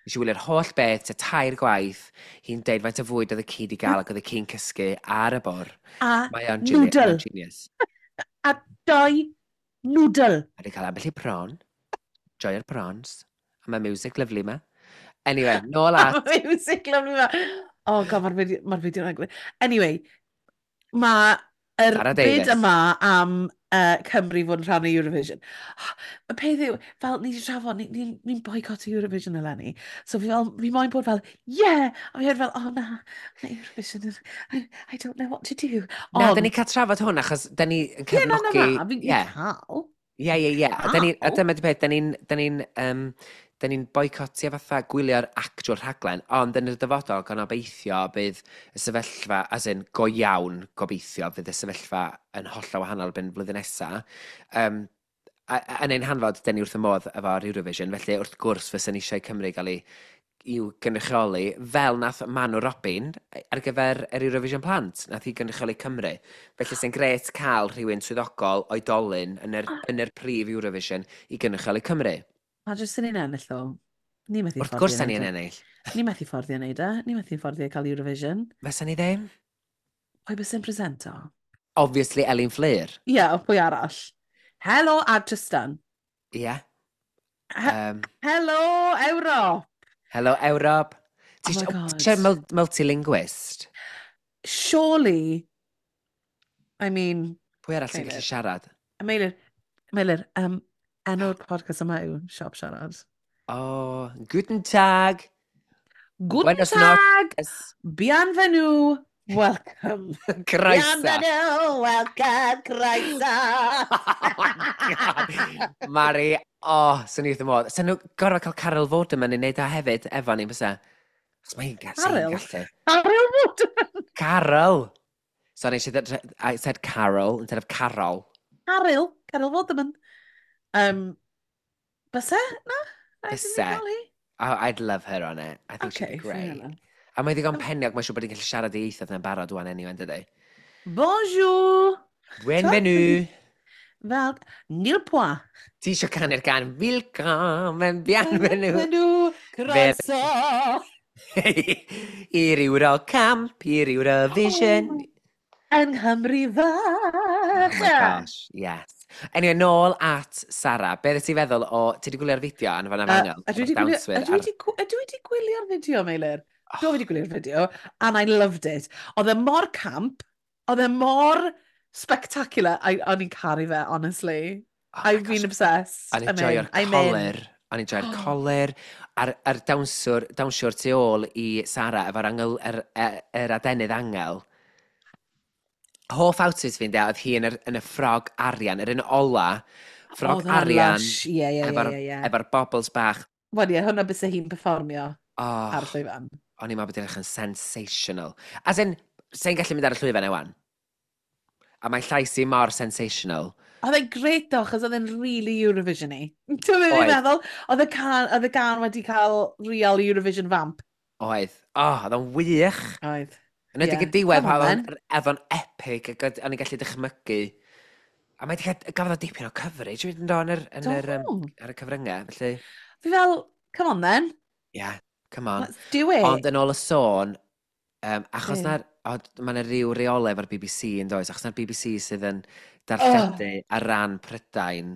Speaker 1: Nes i wylio'r holl beth, tua tair gwaith, hi'n deud faint o fwyd oedd y ci di gael ac oedd y ci'n cysgu ar y bwr.
Speaker 2: A
Speaker 1: Mae o'n genius.
Speaker 2: noodle.
Speaker 1: Genius.
Speaker 2: A doi noodle.
Speaker 1: A di cael ambell i prawn. Joio'r prawns. A mae music lyfli ma. Anyway, nôl at...
Speaker 2: Music lovely ma. Oh god, mae'r fideo, ma fideo yna'n. Anyway, mae yr
Speaker 1: Sara
Speaker 2: byd
Speaker 1: Davies.
Speaker 2: yma am Cymru fod yn rhan o Eurovision. Y peth yw, fel ni wedi trafod, ni'n ni, ni boycott Eurovision eleni. So fi, fel, fi moyn bod fel, yeah! A fi hefyd fel, oh na, na Eurovision, I don't know what to do.
Speaker 1: Na,
Speaker 2: Ond,
Speaker 1: da ni cael trafod hwn achos da ni yn
Speaker 2: Ie, na, na,
Speaker 1: cefnogi.
Speaker 2: na, fi'n
Speaker 1: Ie,
Speaker 2: cael.
Speaker 1: ie. A da ni, a
Speaker 2: Cael.
Speaker 1: dyma di peth, da ni'n boicotio fatha gwylio'r actual rhaglen, ond yn y dyfodol, gan obeithio bydd y sefyllfa, as in, go iawn gobeithio, fydd y sefyllfa yn hollol wahanol ben flwyddyn nesa. A yn ein hanfod, da ni wrth y modd efo'r Eurovision, felly wrth gwrs fysa ni eisiau Cymru gael ei i'w gynrychioli, fel nath Manu Robin ar gyfer yr Eurovision Plant, nath hi gynrychioli Cymru. Felly sy'n grêt cael rhywun swyddogol oedolyn yn yr prif Eurovision i gynrychioli Cymru.
Speaker 2: A jyst yn ni'n ennill ddo. Ni methu
Speaker 1: Wrth
Speaker 2: fforddio
Speaker 1: gwrs da
Speaker 2: neud
Speaker 1: ni'n
Speaker 2: e.
Speaker 1: ennill.
Speaker 2: Ni methu fforddio neud e. Ni methu fforddio cael Eurovision.
Speaker 1: Fysa ni ddim?
Speaker 2: Pwy bys yn presento?
Speaker 1: Obviously Elin Fflur.
Speaker 2: Ie, yeah, pwy arall? Helo a Tristan.
Speaker 1: Ie. Yeah.
Speaker 2: Helo, Ewrop!
Speaker 1: Hello Ewrop. Ti
Speaker 2: Oh my
Speaker 1: isio-
Speaker 2: God.
Speaker 1: ti eisiau multilinguist?
Speaker 2: Surely, I mean,
Speaker 1: Pwy arall sy'n gallu
Speaker 2: Meilir.
Speaker 1: siarad?
Speaker 2: Meilir, Meilir, enw'r podcast yma yw Siop Siarad.
Speaker 1: Oh, guten Tag.
Speaker 2: Guten
Speaker 1: Buenos
Speaker 2: Tag!
Speaker 1: noches.
Speaker 2: Bienvenue! Welcome!
Speaker 1: Croeso.
Speaker 2: Bienvenue! Welcome! Croeso!
Speaker 1: Oh my God. Mari, oh, swn i wrth y modd. Sa'n nhw gorfod cael Carol Vorderman i wneud o hefyd, efo ni, bysa? Achos mae hi'n
Speaker 2: Caryl?
Speaker 1: gallu.
Speaker 2: Carol Vorderman!
Speaker 1: Carol! Sorry, she said, I said Carol instead of Carol.
Speaker 2: Caryl! Carol Vorderman. Byse? Na? Rhaid i ni
Speaker 1: Byse.
Speaker 2: gael hi?
Speaker 1: Oh, I'd love her on it. I think she'd
Speaker 2: Okay,
Speaker 1: be
Speaker 2: fair
Speaker 1: great.
Speaker 2: enough.
Speaker 1: A mae ddigon peniog, mae'n siŵr bod hi'n gallu siarad i ieithoedd yn barod wan anyway, yn dydi?
Speaker 2: Bonjour!
Speaker 1: Bienvenue!
Speaker 2: Fel, nil point.
Speaker 1: Ti eisiau canu'r gân Willkommen, bienvenue!
Speaker 2: Bienvenue! Croeso!
Speaker 1: I'r Eurocamp, i'r Eurovision.
Speaker 2: Oh, Yng Nghymru
Speaker 1: Oh
Speaker 2: fach!
Speaker 1: my gosh, yes. Anyway, nôl at Sara. Be ti'n feddwl o... Ti wedi gwylio'r fideo Anfonaf Angel?
Speaker 2: Ydw i wedi gwylio- ydw i wedi gwylio'r fideo, Meilir?
Speaker 1: Oh.
Speaker 2: Do, fi wedi gwylio'r fideo, and I loved it. Oedd e mor camp, oedd e mor spectacular. O'n i'n caru fe, honestly.
Speaker 1: Oh my
Speaker 2: I've
Speaker 1: gosh.
Speaker 2: been obsessed.
Speaker 1: O'n i'n
Speaker 2: I'm in,
Speaker 1: joio'r
Speaker 2: I'm in.
Speaker 1: coler. O'n i'n joio'r coler. A'r dawnsiwr tu ôl i Sara efo'r angel, yr adenydd angel. Hoff outfit fi'n de, oedd hi yn y ffrog arian, yr un ola. Ffrog
Speaker 2: Oedd hwnna'n
Speaker 1: arian,
Speaker 2: lush. Ie, ie.
Speaker 1: efo'r bobbles bach.
Speaker 2: Wel ie, hwnna byse hi'n performio
Speaker 1: Oh,
Speaker 2: ar y llwyfan.
Speaker 1: o'n i'n meddwl bod hi'n edrych yn sensational. As in, sa'n gallu mynd ar y llwyfan ewan. A mae llais i mor sensational.
Speaker 2: Oedd e'n great though, achos oedd e'n really Eurovision-y. Ti'n meddwl fi'n
Speaker 1: Oedd.
Speaker 2: meddwl? Oedd y gân wedi cael real Eurovision vamp.
Speaker 1: Oedd. Oh, oedd o'n wych.
Speaker 2: Oedd.
Speaker 1: Yn edrych
Speaker 2: Ie.
Speaker 1: y diwedd,
Speaker 2: Come on,
Speaker 1: oedd o'n epic, ac o'n i'n gallu dychmygu. A mae wedi cael, gafodd o dipyn o coverage wedyn do, yn yr, yn yr,
Speaker 2: Do.
Speaker 1: ar y cyfryngau, felly,
Speaker 2: Fi fel, come on then,
Speaker 1: yeah, come on.
Speaker 2: let's do it.
Speaker 1: Ond yn ôl y sôn, achos
Speaker 2: Be?
Speaker 1: na'r, mae yna ryw reolau efo'r BBC yn does, achos na'r BBC sydd yn darlledu ar ran Prydain,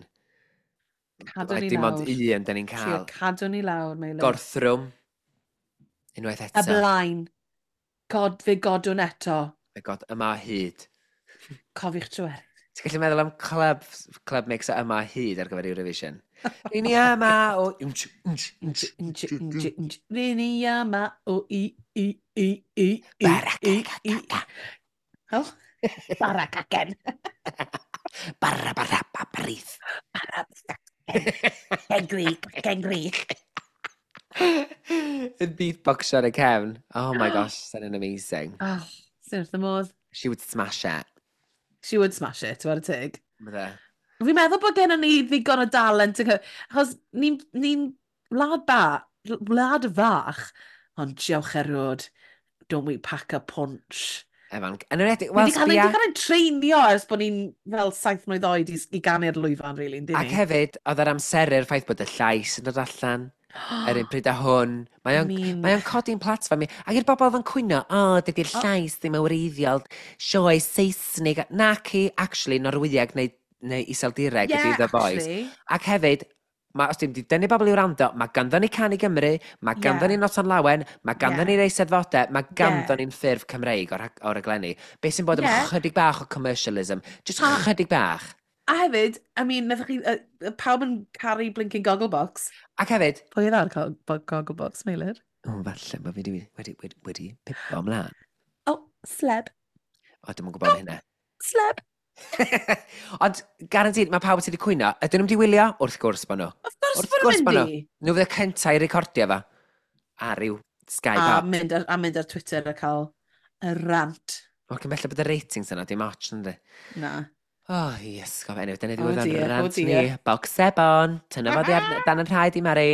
Speaker 2: Cadw
Speaker 1: mae
Speaker 2: ni
Speaker 1: dim ond
Speaker 2: lawr.
Speaker 1: un da ni'n
Speaker 2: Trio
Speaker 1: cael.
Speaker 2: cadw ni lawr, Meilir.
Speaker 1: Gorthrwm, unwaith
Speaker 2: Y
Speaker 1: eto.
Speaker 2: blaen. God, fe godwn eto.
Speaker 1: My God, yma o hyd.
Speaker 2: Cofiwch trwy'r.
Speaker 1: Ti'n gallu meddwl am club mix o yma o hyd ar gyfer Eurovision? Ry'n ni yma o... Wnch, wnch, wnch.
Speaker 2: Nj, nj, nj. Ryn ni yma o i, i, i, i, i, i, i. Oh, bara cacen.
Speaker 1: Barra, barra, babrith.
Speaker 2: Bara cacen. Cengri, cengri.
Speaker 1: Yn beatboxio ar y cefn. Oh my gosh, sy'n amazing.
Speaker 2: Oh, sy'n wrth y modd.
Speaker 1: She would smash it.
Speaker 2: She would smash it, what a tig.
Speaker 1: Bydde.
Speaker 2: Fi'n meddwl bod gennym ni ddigon o dalent. Achos ni'n ni wlad fach, ond diolch erioed, don't we pack a punch.
Speaker 1: Evan, yn enwedig,
Speaker 2: Ni
Speaker 1: wel,
Speaker 2: wedi cael, ni
Speaker 1: sbia,
Speaker 2: wedi cael ein treinio ers bod ni'n fel 7 mlwydd oed i ganu'r lwyfan, really, yndyn
Speaker 1: ac
Speaker 2: ni?
Speaker 1: Hefyd, oedd yr amseru'r ffaith bod y llais yn dod allan yr un pryd â hwn.
Speaker 2: I mean,
Speaker 1: Mae o'n codi'n platfform i. Ac i'r bobl oedd yn cwyno, "O, oh, dydy'r llais ddim yn wreiddiol, sioe Saesnig." Naci, actually, Norwyeg neu Iseldireg ydy The Voice.
Speaker 2: Actually.
Speaker 1: Ac hefyd, mae, os dim di dynnu bobl i wrando, mae ganddo ni Cân i Gymru, mae ganddo ni Noson Lawen, mae ganddo ni'r Eisteddfodau, mae ganddo ni'n ffurf Cymreig o'r raglenni. Be sy'n bod am chydig bach o commercialism? Just chydig bach.
Speaker 2: A hefyd, I mean, nathach chi, pawb yn caru blinking Gogglebox.
Speaker 1: Ac hefyd,
Speaker 2: Pwy oedd ar Gogglebox, Meilir?
Speaker 1: O, falle, mae fi wedi pipo ymlaen.
Speaker 2: Oh, sleb.
Speaker 1: O, dwi'm yn gwybod am hynna.
Speaker 2: Sleb.
Speaker 1: Ond, guaranteed, mae pawb sydd wedi cwyno, ydyn nhw'n wedi wylio? Wrth gwrs bod nhw.
Speaker 2: Of course
Speaker 1: Wrth
Speaker 2: bod
Speaker 1: gwrs
Speaker 2: nhw'n
Speaker 1: bo'
Speaker 2: mynd i.
Speaker 1: Nhw fydd y cyntaf i recordio fo. Ar ryw Sky
Speaker 2: A
Speaker 1: Pop.
Speaker 2: mynd ar Twitter a cael y rant.
Speaker 1: O, cyn belled bod y ratings yna, dim ots, yndi.
Speaker 2: Na.
Speaker 1: Oh, yes, gof, anyway, dyna
Speaker 2: Oh
Speaker 1: ddiwedd o'n
Speaker 2: dear, oh
Speaker 1: rant ni.
Speaker 2: dear.
Speaker 1: Box sebon, tynna fo dan yn rhaid i Mari.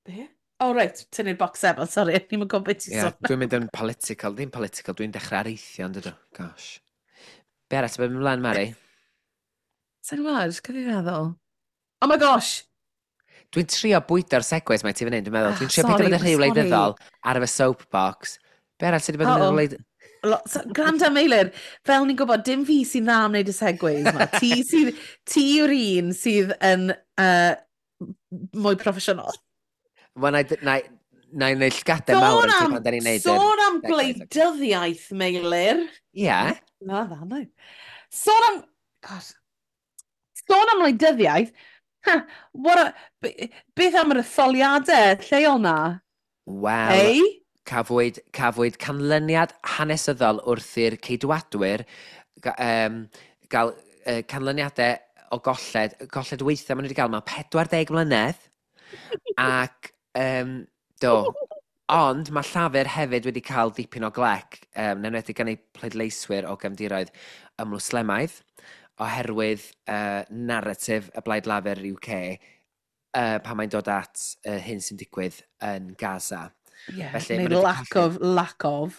Speaker 2: Be? Oh, right, tynnu'r box sebon, sorry, ni'n gwybod beth ti'n
Speaker 1: Ie,
Speaker 2: sôn.
Speaker 1: dwi'n mynd yn political, ddim political, dwi'n dechrau areithio, yn dydw. Gosh. Be arall sy'n mynd ymlaen, Mari?
Speaker 2: Sa'n gwybod, cyf i feddwl. Oh my gosh!
Speaker 1: Dwi'n trio bwydo'r segues mae ti fan hyn, dwi'n meddwl.
Speaker 2: Ah,
Speaker 1: Dwi'n trio peidio
Speaker 2: sorry,
Speaker 1: bod yn rhy
Speaker 2: sorry.
Speaker 1: wleidyddol ar fy soapbox. Be arall sydd wedi bod yn
Speaker 2: Uh-oh.
Speaker 1: wleid?
Speaker 2: So, gwranda Meilir, fel ni'n gwybod, dim fi sy'n dda am wneud y segues ma. Ti yw'r un sydd yn mwy proffesiynol.
Speaker 1: Wel, na i wneud llgadau mawr
Speaker 2: Sôn
Speaker 1: yn ti
Speaker 2: am,
Speaker 1: pan da ni'n neud yr
Speaker 2: sôn am
Speaker 1: segues.
Speaker 2: gwleidyddiaeth, Meilir.
Speaker 1: Ie.
Speaker 2: Na, dda, no. Sôn am... God. Sôn am wleidyddiaeth. Ha, beth am yr etholiadau lleol na?
Speaker 1: Wel,
Speaker 2: Ei?
Speaker 1: cafwyd canlyniad hanesyddol wrth i'r Ceidwadwyr gael canlyniadau o golled weithiau maen nhw wedi gael mewn 40 mlynedd. Ac, do, ond mae Llafur hefyd wedi cael dipyn o glec, yn enwedig gan eu pleidleiswyr o gefndiroedd ymwslemaidd, oherwydd narratif y Blaid Lafur UK pan mae'n dod at hyn sy'n digwydd yn Gaza.
Speaker 2: Yeah,
Speaker 1: Felly,
Speaker 2: neu
Speaker 1: ma' nhw 'di
Speaker 2: lack
Speaker 1: colli.
Speaker 2: of, lack of.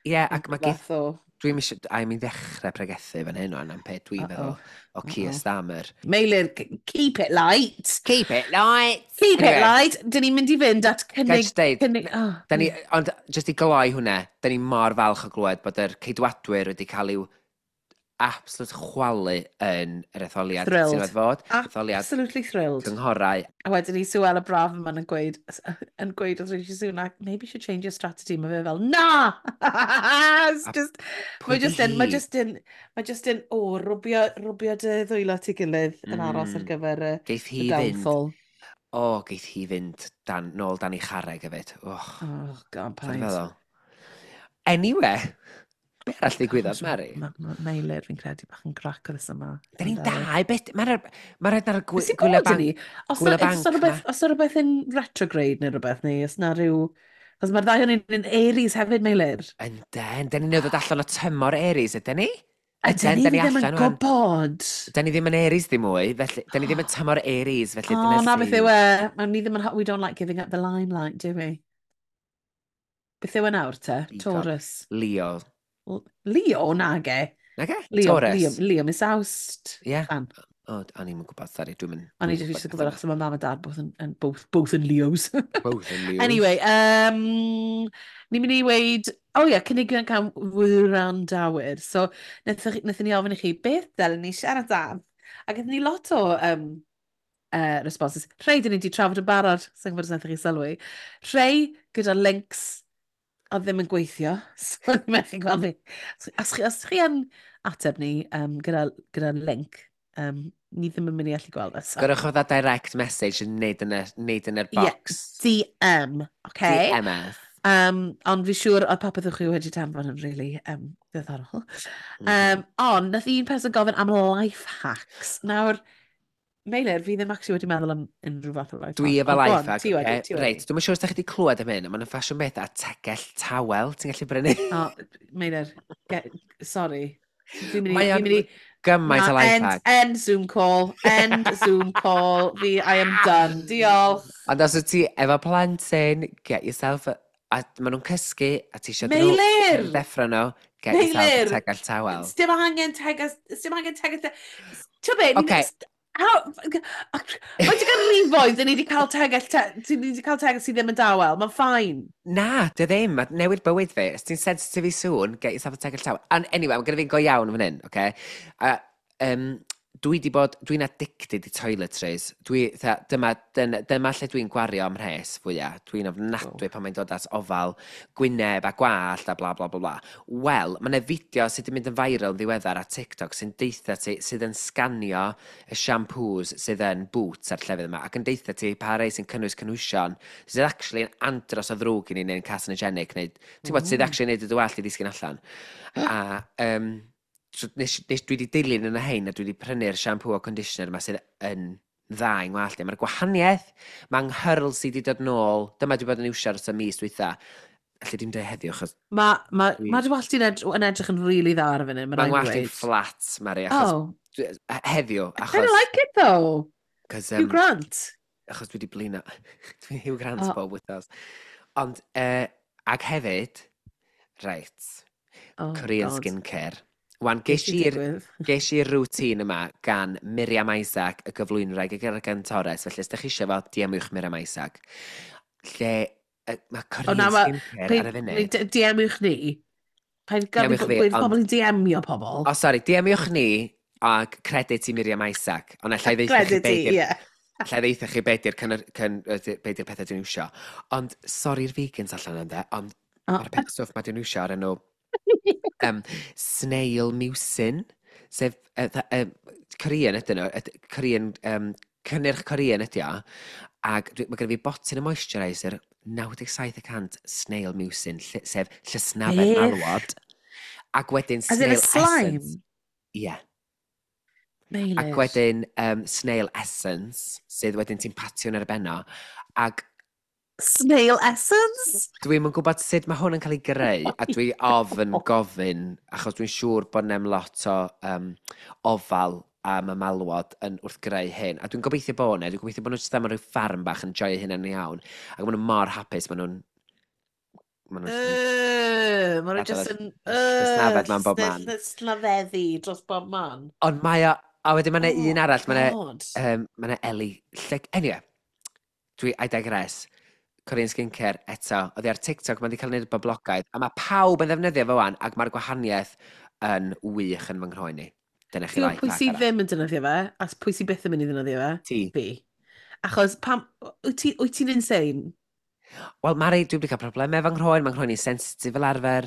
Speaker 1: Ie, yeah, ac mae
Speaker 2: Fath o.
Speaker 1: Dwi'n eisiau. I mean, ddechrau pregethu fan hyn o'n am beth dwi'n meddwl o Keir Starmer.
Speaker 2: Meilir, keep it light.
Speaker 1: Keep it light!
Speaker 2: Keep it
Speaker 1: Anyway,
Speaker 2: light. Dyn ni'n mynd i fynd at
Speaker 1: Ga i
Speaker 2: cynnig
Speaker 1: jyst deud,
Speaker 2: Cynnig, oh,
Speaker 1: da ni, ond jyst i gloi hwnna, da ni mor falch o glywed bod yr Ceidwadwyr wedi cael i'w absolute chwalu yn yr etholiad
Speaker 2: Thrilled.
Speaker 1: sy'n wedi fod. Etholiad
Speaker 2: Absolutely thrilled.
Speaker 1: cynghorau.
Speaker 2: A wedyn ni Suella Braverman yn gweud wrth Rishi Sunak, "Maybe you should change your strategy." Mae fe fel, "Na!" It's just,
Speaker 1: Pwy
Speaker 2: mae
Speaker 1: 'di
Speaker 2: just yn, mae
Speaker 1: hi?
Speaker 2: just yn, mae just yn, o, rwbio dy ddwylo at ei gilydd yn aros ar gyfer y,
Speaker 1: Geith hi
Speaker 2: y
Speaker 1: fynd,
Speaker 2: downfall.
Speaker 1: o, geith hi fynd dan, nôl dan ei charreg hefyd. Oh,
Speaker 2: Oh, God,
Speaker 1: ti'n
Speaker 2: paid.
Speaker 1: feddwl? Anyway, be arall ddigwyddodd, Mary?
Speaker 2: Meilir, fi'n credu bach yn grac o this yma.
Speaker 1: Da ni'n dau, beth, mae'r ma rhaid ar y
Speaker 2: Beth sy'n
Speaker 1: gwyliau
Speaker 2: bod
Speaker 1: banc.
Speaker 2: ni? Os
Speaker 1: gwyliau
Speaker 2: na, os
Speaker 1: banc
Speaker 2: na rhywbeth, os na rhywbeth yn retrograde neu rhywbeth, neu os na rhyw. Os mae'r ddau o'n yn Aries hefyd, Meilir.
Speaker 1: Ynden, da ni'n dod allan o tymor Aries, ydyn ni?
Speaker 2: Ydyn ni
Speaker 1: Da ni
Speaker 2: ddim yn
Speaker 1: allan ŵan.
Speaker 2: gwybod.
Speaker 1: Da ni ddim yn Aries ddim mwy, felly, da ni ddim yn tymor Aries, felly
Speaker 2: O,
Speaker 1: dyna
Speaker 2: na beth yw e. Ma' ni ddim yn... We don't like giving up the limelight, do we? Beth yw e nawr te?
Speaker 1: Digon.
Speaker 2: Taurus.
Speaker 1: Leo.
Speaker 2: Leo, nage.
Speaker 1: Nage?
Speaker 2: Leo,
Speaker 1: Taurus.
Speaker 2: Leo, Leo, Miss Awst.
Speaker 1: Ie.
Speaker 2: Fan.
Speaker 1: O, o'n i'n gwybod, sorry, dwi'n mynd.
Speaker 2: O'n i jyst eisiau gwybod achos mae mam a dad both yn Leos.
Speaker 1: Both yn Leos.
Speaker 2: Anyway, ni'n mynd i weid, oh ie, yeah, cynigion gan wrandawyr. So, wnaethon ni ofyn i chi, beth dylen ni siarad am? A gaethon ni lot o responses. Rhai dyn ni wedi trafod yn barod, sy'n gwybod os wnaethoch chi sylwi. Rhai gyda links a ddim yn gweithio. So, ni'n methu gweld fi. Os chi yn ateb ni gyda link, ni ddim yn mynd i allu gweld e. So.
Speaker 1: Gyrwch o dda direct message yn neud yn y, neud yn yr
Speaker 2: Ie,
Speaker 1: box.
Speaker 2: DM, okay?
Speaker 1: DMS.
Speaker 2: Ond fi siŵr oedd popeth o'ch chi wedi danfon yn really diddorol. Ond nath un person gofyn am life hacks. Nawr, Meilir, fi ddim actually wedi meddwl am unrhyw fath o life
Speaker 1: Dwi
Speaker 2: hack.
Speaker 1: efo
Speaker 2: Ond go
Speaker 1: life
Speaker 2: on,
Speaker 1: hack.
Speaker 2: Ti wedi,
Speaker 1: Ocê?
Speaker 2: ti wedi.
Speaker 1: Reit, dwi'm yn siŵr os da chi wedi clywed am hyn, ond mae'n ffasiwn beth a tegell tawel ti'n gallu brynu.
Speaker 2: O, Meilir, sorry. Fi'n mynd i...
Speaker 1: Mae
Speaker 2: Fi'n
Speaker 1: o'n
Speaker 2: mynd i
Speaker 1: gymaint o
Speaker 2: na,
Speaker 1: life
Speaker 2: end,
Speaker 1: hack.
Speaker 2: End Zoom call, end Zoom call. Fi, I am done. Diolch.
Speaker 1: Ond os wyt ti efo plentyn, get yourself... A maen nhw'n cysgu, a ti eisiau
Speaker 2: Meilir!
Speaker 1: ddeffro nhw, get yourself a
Speaker 2: Meilir!
Speaker 1: tegell tawel.
Speaker 2: Dim angen tegas... Dim angen tegas. Ti'n be?
Speaker 1: Ocê.
Speaker 2: Mae ti ganrifoedd, dyn ni wedi cael tegell, te, ni wedi cael tegell sydd ddim yn dawel. Mae'n fine.
Speaker 1: Na, dy ddim. Mae newid bywyd fi. Os ti'n sensitif i sŵn, get yourself a tegell tawel. And anyway, mae gyda fi'n go iawn fan hyn, oce? A, dwi di bod, dwi'n addicted i toiletries. Dwi, tha, dyma lle dwi'n gwario am mhres fwyaf. Dwi'n ofnadwy pan mae'n dod at ofal gwyneb a gwallt a bla bla bla bla. Wel, mae yna fideo sydd wedi mynd yn viral yn ddiweddar ar TikTok sy'n deutha ti, sydd yn sganio y shampoos sydd yn Boots a'r llefydd yma ac yn deutha ti pa rei sy'n cynnwys cynhwysion sydd actually yn andros o ddrwg i ni neu'n carcinogenic neu ti'n gwybod sydd actually yn neud y dy wallt i ddisgyn allan. A so dwi wedi dilyn yn y hein a dwi wedi prynu'r shampoo a conditioner yma sydd yn dda i'n ngwallt i. Mae'r gwahaniaeth, mae'n nghyrl sydd wedi dod nôl. Dyma dwi bod yn iwsio ers y mis dwytha. Alli dim dweud heddiw, achos
Speaker 2: Mae ma, ma dy wallt i'n yn edrych yn really dda ar y funud, mae'n
Speaker 1: mae'n
Speaker 2: rhaid i
Speaker 1: ngwallt i'n
Speaker 2: weud.
Speaker 1: fflat, Mari, achos
Speaker 2: Oh,
Speaker 1: heddiw,
Speaker 2: I kind of
Speaker 1: achos
Speaker 2: like it though.
Speaker 1: Cos,
Speaker 2: Hugh Grant.
Speaker 1: Achos dwi wedi blino. Dwi'n Hugh Grant bob wythnos. Ond, ag hefyd, reit,
Speaker 2: Oh,
Speaker 1: Korean
Speaker 2: God.
Speaker 1: skincare. Wan,
Speaker 2: Beth
Speaker 1: ges
Speaker 2: sy'n
Speaker 1: i'r
Speaker 2: digwydd?
Speaker 1: ges i'r routine yma gan Miriam Isaac, y gyflwynwraig y gantores, felly os ydych chi eisiau fo, DM-wch Miriam Isaac. Lle mae Korean
Speaker 2: na,
Speaker 1: skincare ar y funud.
Speaker 2: DM-wch ni. Paid gadw
Speaker 1: DM-wch fi,
Speaker 2: gweud pobl i DM-io pobl.
Speaker 1: O, sori, DM-wch ni ag credit i Miriam Isaac. Ond allai ddeutha chi
Speaker 2: Credit i,
Speaker 1: be
Speaker 2: ie.
Speaker 1: Allai ddeutha chi be di'r be di'r pethau dwi'n iwsio. Ond, sori'r vegans allan yna, ond mae'r peth stwff mae dwi'n iwsio ar enw snail mucin, sef Korean ydyn nhw, Korean, cynnyrch Korean ydy o, ac mae gen i fi botyn o moisturiser 97% snail mucin, sef llysnafedd
Speaker 2: Beth?
Speaker 1: malwod, ac wedyn
Speaker 2: As in a
Speaker 1: snail
Speaker 2: slime?
Speaker 1: essence. Ie. Yeah.
Speaker 2: Meilir.
Speaker 1: Ac wedyn snail essence, sydd wedyn ti'n patio yn ar y benno, ac
Speaker 2: Snail essence?
Speaker 1: Dwi'm yn gwybod sut mae hwn yn cael ei greu, a dwi ofn gofyn, achos dwi'n siŵr bod 'na'm lot o ofal am y malwod yn wrth greu hyn. A dwi'n gobeithio bod 'na, dwi'n gobeithio bod nhw jyst am rhyw ffarm bach yn joio hynna'n iawn. Ac maen nhw mor hapus, maen nhw jyst yn
Speaker 2: Maen nhw
Speaker 1: gadael
Speaker 2: just
Speaker 1: y
Speaker 2: yn
Speaker 1: llysnafedd mewn bob man.
Speaker 2: Llysnafeddu dros bob man.
Speaker 1: Ond mae o, a wedyn mae 'na
Speaker 2: Oh,
Speaker 1: un arall, mae 'na
Speaker 2: God.
Speaker 1: mae 'na Eli, anyway, I digress. Korean skincare eto, oedd hi ar TikTok, mae wedi cael ei wneud yn boblogaidd, a mae pawb yn ddefnyddio fo wan, ac mae'r gwahaniaeth yn wych yn fy nghroen i. Dyna chi
Speaker 2: Ti'n gwybod
Speaker 1: life
Speaker 2: pwy
Speaker 1: hack
Speaker 2: sydd
Speaker 1: arall.
Speaker 2: ddim yn defnyddio fe, a pwy sydd byth yn mynd i ddefnyddio fe?
Speaker 1: Ti.
Speaker 2: Fi. Achos pam... Wyt ti'n insane?
Speaker 1: Wel, Mari, dwi wedi cael problemau efo nghroen, mae'n nghroen i'n sensitif fel arfer,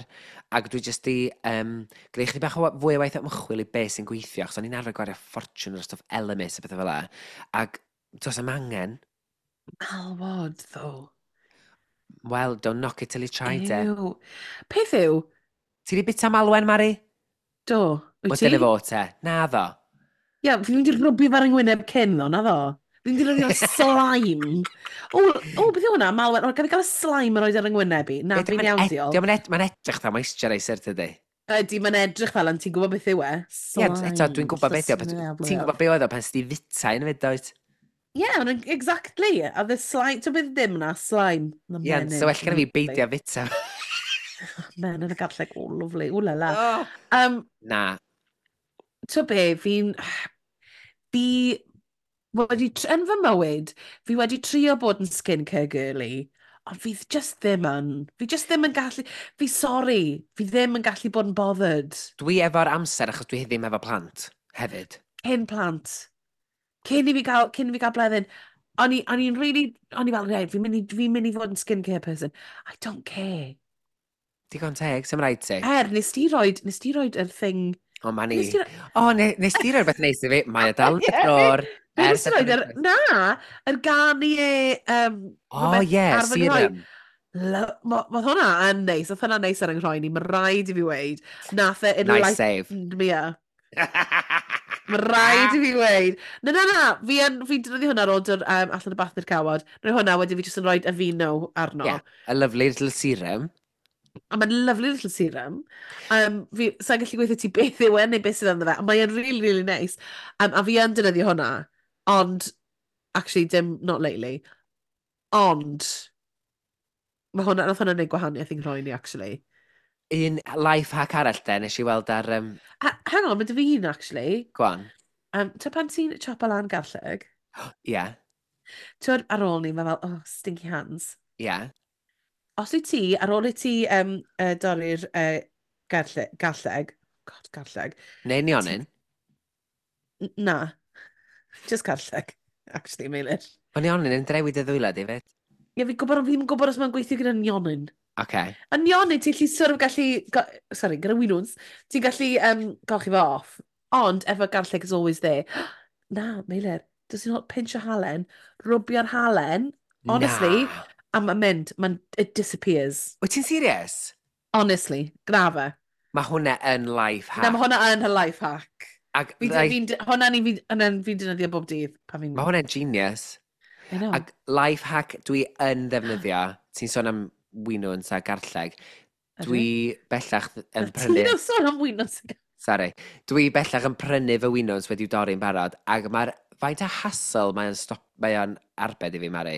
Speaker 1: ac dwi jyst di gwneud chydig bach o fwy o waith ymchwil i beth sy'n gweithio, achos o'n i'n arfer gwario ffortiwn ar stwff Elemis a bethau fel 'na, ac does 'am angen.
Speaker 2: Malwod, though.
Speaker 1: Well, don't knock it till you tried it.
Speaker 2: Ew. Peth yw,
Speaker 1: Ti di bita malwen, Mari?
Speaker 2: Do. Wyt
Speaker 1: Wel,
Speaker 2: ti?
Speaker 1: dyna fo te. Na ddo.
Speaker 2: Ie, yeah, fi'n mynd i rwbio fe ar yng ngwyneb cyn, ddo, na ddo. Fi'n mynd i rwbio slime. O, beth yw hwnna? Malwen. O, gaf i gael y slime yn rhoi ar yng ngwyneb i? Na,
Speaker 1: Ie,
Speaker 2: fi'n iawn, diolch.
Speaker 1: Diolch yn mae'n edrych dda moisturiser, tydi?
Speaker 2: Ydy, mae'n edrych fel, ond ti'n gwybod beth yw e?
Speaker 1: Ie, eto, dwi'n gwybod beth yw. Ti'n gwybod beth oedd o pan s'di fita un fyd, dwyt?
Speaker 2: Ie, yeah, exactly. A the slime, ti'n beth ddim na, slime. Na
Speaker 1: Ie,
Speaker 2: menyn,
Speaker 1: so well gen i fi
Speaker 2: lovely.
Speaker 1: beidio fita.
Speaker 2: Menyn y garlleg, oh, lovely, oh la la.
Speaker 1: Oh. Na.
Speaker 2: Ti'n be, fi wedi, yn fy mywyd, fi wedi trio bod yn skincare girly, ond fi just ddim yn. Fi just ddim yn gallu, fi sorry, fi ddim yn gallu bod yn bothered.
Speaker 1: Dwi efo'r amser achos dwi ddim efo plant hefyd.
Speaker 2: Cyn plant. Cyn i fi gael blwyddyn, o'n i'n really, o'n i fel, right, fi'n mynd i fod yn skincare person. I don't care.
Speaker 1: Digon teg, sy'm rhaid ti.
Speaker 2: Er, nes ti roid yr thing.
Speaker 1: O, ma ni.
Speaker 2: Nes ti
Speaker 1: O, nes ti roi rhywbeth neis i fi? Mae o dal yn y drôr.
Speaker 2: Nes
Speaker 1: Ers
Speaker 2: ti roid yr, na, yr Garnier,
Speaker 1: O,
Speaker 2: rhywbeth
Speaker 1: ie,
Speaker 2: ar fy nghroen.
Speaker 1: serum.
Speaker 2: Ma hwnna yn neis, oedd hwnna'n neis ar yng nghroen i, mae rhaid i fi weud. Nath e
Speaker 1: Nice save.
Speaker 2: enlightened me up. Mae rhaid i fi weud. Na, na, na, fi yn, fi'n defnyddio hwnna ar ôl dod allan y bath i'r cawod. Rhoi hwnna, wedyn fi jyst yn rhoi Aveeno arno.
Speaker 1: Yeah, a lovely little serum.
Speaker 2: A mae'n lovely little serum. Fi, sa'n gallu gweithio ti beth yw e neu beth sydd ynddo fe, ond mae'n really, really nice. A fi yn defnyddio hwnna, ond, actually, dim, not lately. Ond, mae hwnna, nath hwnna wneud gwahaniaeth i'n rhoi ni, actually.
Speaker 1: Un life hack arall de, nes i weld ar
Speaker 2: A, hang on, mae dy fi un, actually.
Speaker 1: Go on.
Speaker 2: Ta pan ti'n chopo lan garlleg, ti'n ar ôl ni, mae fel, "Oh, stinky hands." Os wyt ti, ar ôl i ti dorri'r garlleg, God, garlleg,
Speaker 1: Neu nionyn.
Speaker 2: Na, just garlleg, actually, Meilir.
Speaker 1: Mae nionyn yn drewi dy ddwylo di fyd.
Speaker 2: Ie, fi'n gwybod, ond fi ddim yn gwybod os mae'n gweithio gyda nionyn.
Speaker 1: Okay.
Speaker 2: A nionyn, ti'n gallu sort of gallu, sorry, gyda winwns, ti'n gallu golchi fo off. Ond efo garlleg is always there. Na, Meilir, does not pinch o halen, rwbio'r halen, honestly,
Speaker 1: Na.
Speaker 2: a mae'n mynd, it disappears.
Speaker 1: Wyt ti'n serious?
Speaker 2: Honestly, gwna fe.
Speaker 1: Mae hwnna yn life hack.
Speaker 2: Na, mae hwnna yn her life hack.
Speaker 1: Ag,
Speaker 2: Fi,
Speaker 1: like,
Speaker 2: fi, hwnna ni, fi, hwnna'n fi'n defnyddio bob dydd. Pan fi'n.
Speaker 1: Mae hwnna'n genius.
Speaker 2: I know.
Speaker 1: Ag life hack dwi yn ddefnyddio, ti'n sôn am winwns a garlleg, dwi bellach yn prynu.
Speaker 2: Ti'n sôn am winwns?
Speaker 1: Sorry. Dwi bellach yn prynu fy winwns wedi'w dorri'n barod, ac mae'r faint o hassle mae'n stop, mae o'n arbed i fi, Mari,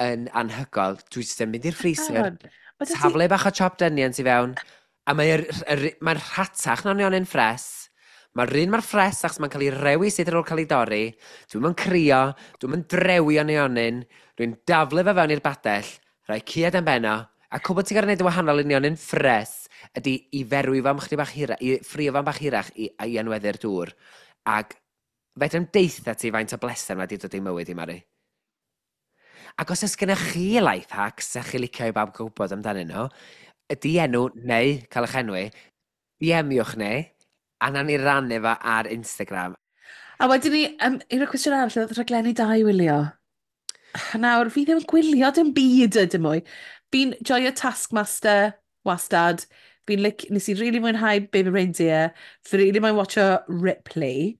Speaker 1: yn anhygoel. Dwi jyst yn mynd i'r freezer,
Speaker 2: Aaron, ma' 'da ti-
Speaker 1: taflu bach o chopped onions i fewn, a mae'r mae rhatach na nionyn ffres. Mae'r un mor ffres achos mae'n cael ei rewi sydd ar ôl cael ei dorri. Dwi'm yn crio, dwi'm yn drewi o nionyn. Dwi'n daflu fe fewn i'r badell, rhoi caead am benno, a cwbl ti'n gorfod gwneud yn wahanol i nionyn ffres ydy i ferwi fo am chydig bach hirach, i ffrio fo am bach hirach i anweddu'r dŵr. Ac fedrai'm deutha ti faint o bleser mae wedi dod i mywyd i, Mari. Ac os oes gennych chi life hacks a chi licio i bawb gwybod amdanyn nhw, ydy enw neu cael eich enwi, DM-iwch ni, a nawn ni rannu fo ar Instagram.
Speaker 2: A wedyn ni, un o'r cwestiwn arall, oedd rhaglenni da i wylio. Nawr, fi ddim yn gwylio dim byd ydym mwy. Fi'n joio Taskmaster, wastad. Nes i really mwynhau Baby Reindeer. Fi really mwyn watcho Ripley.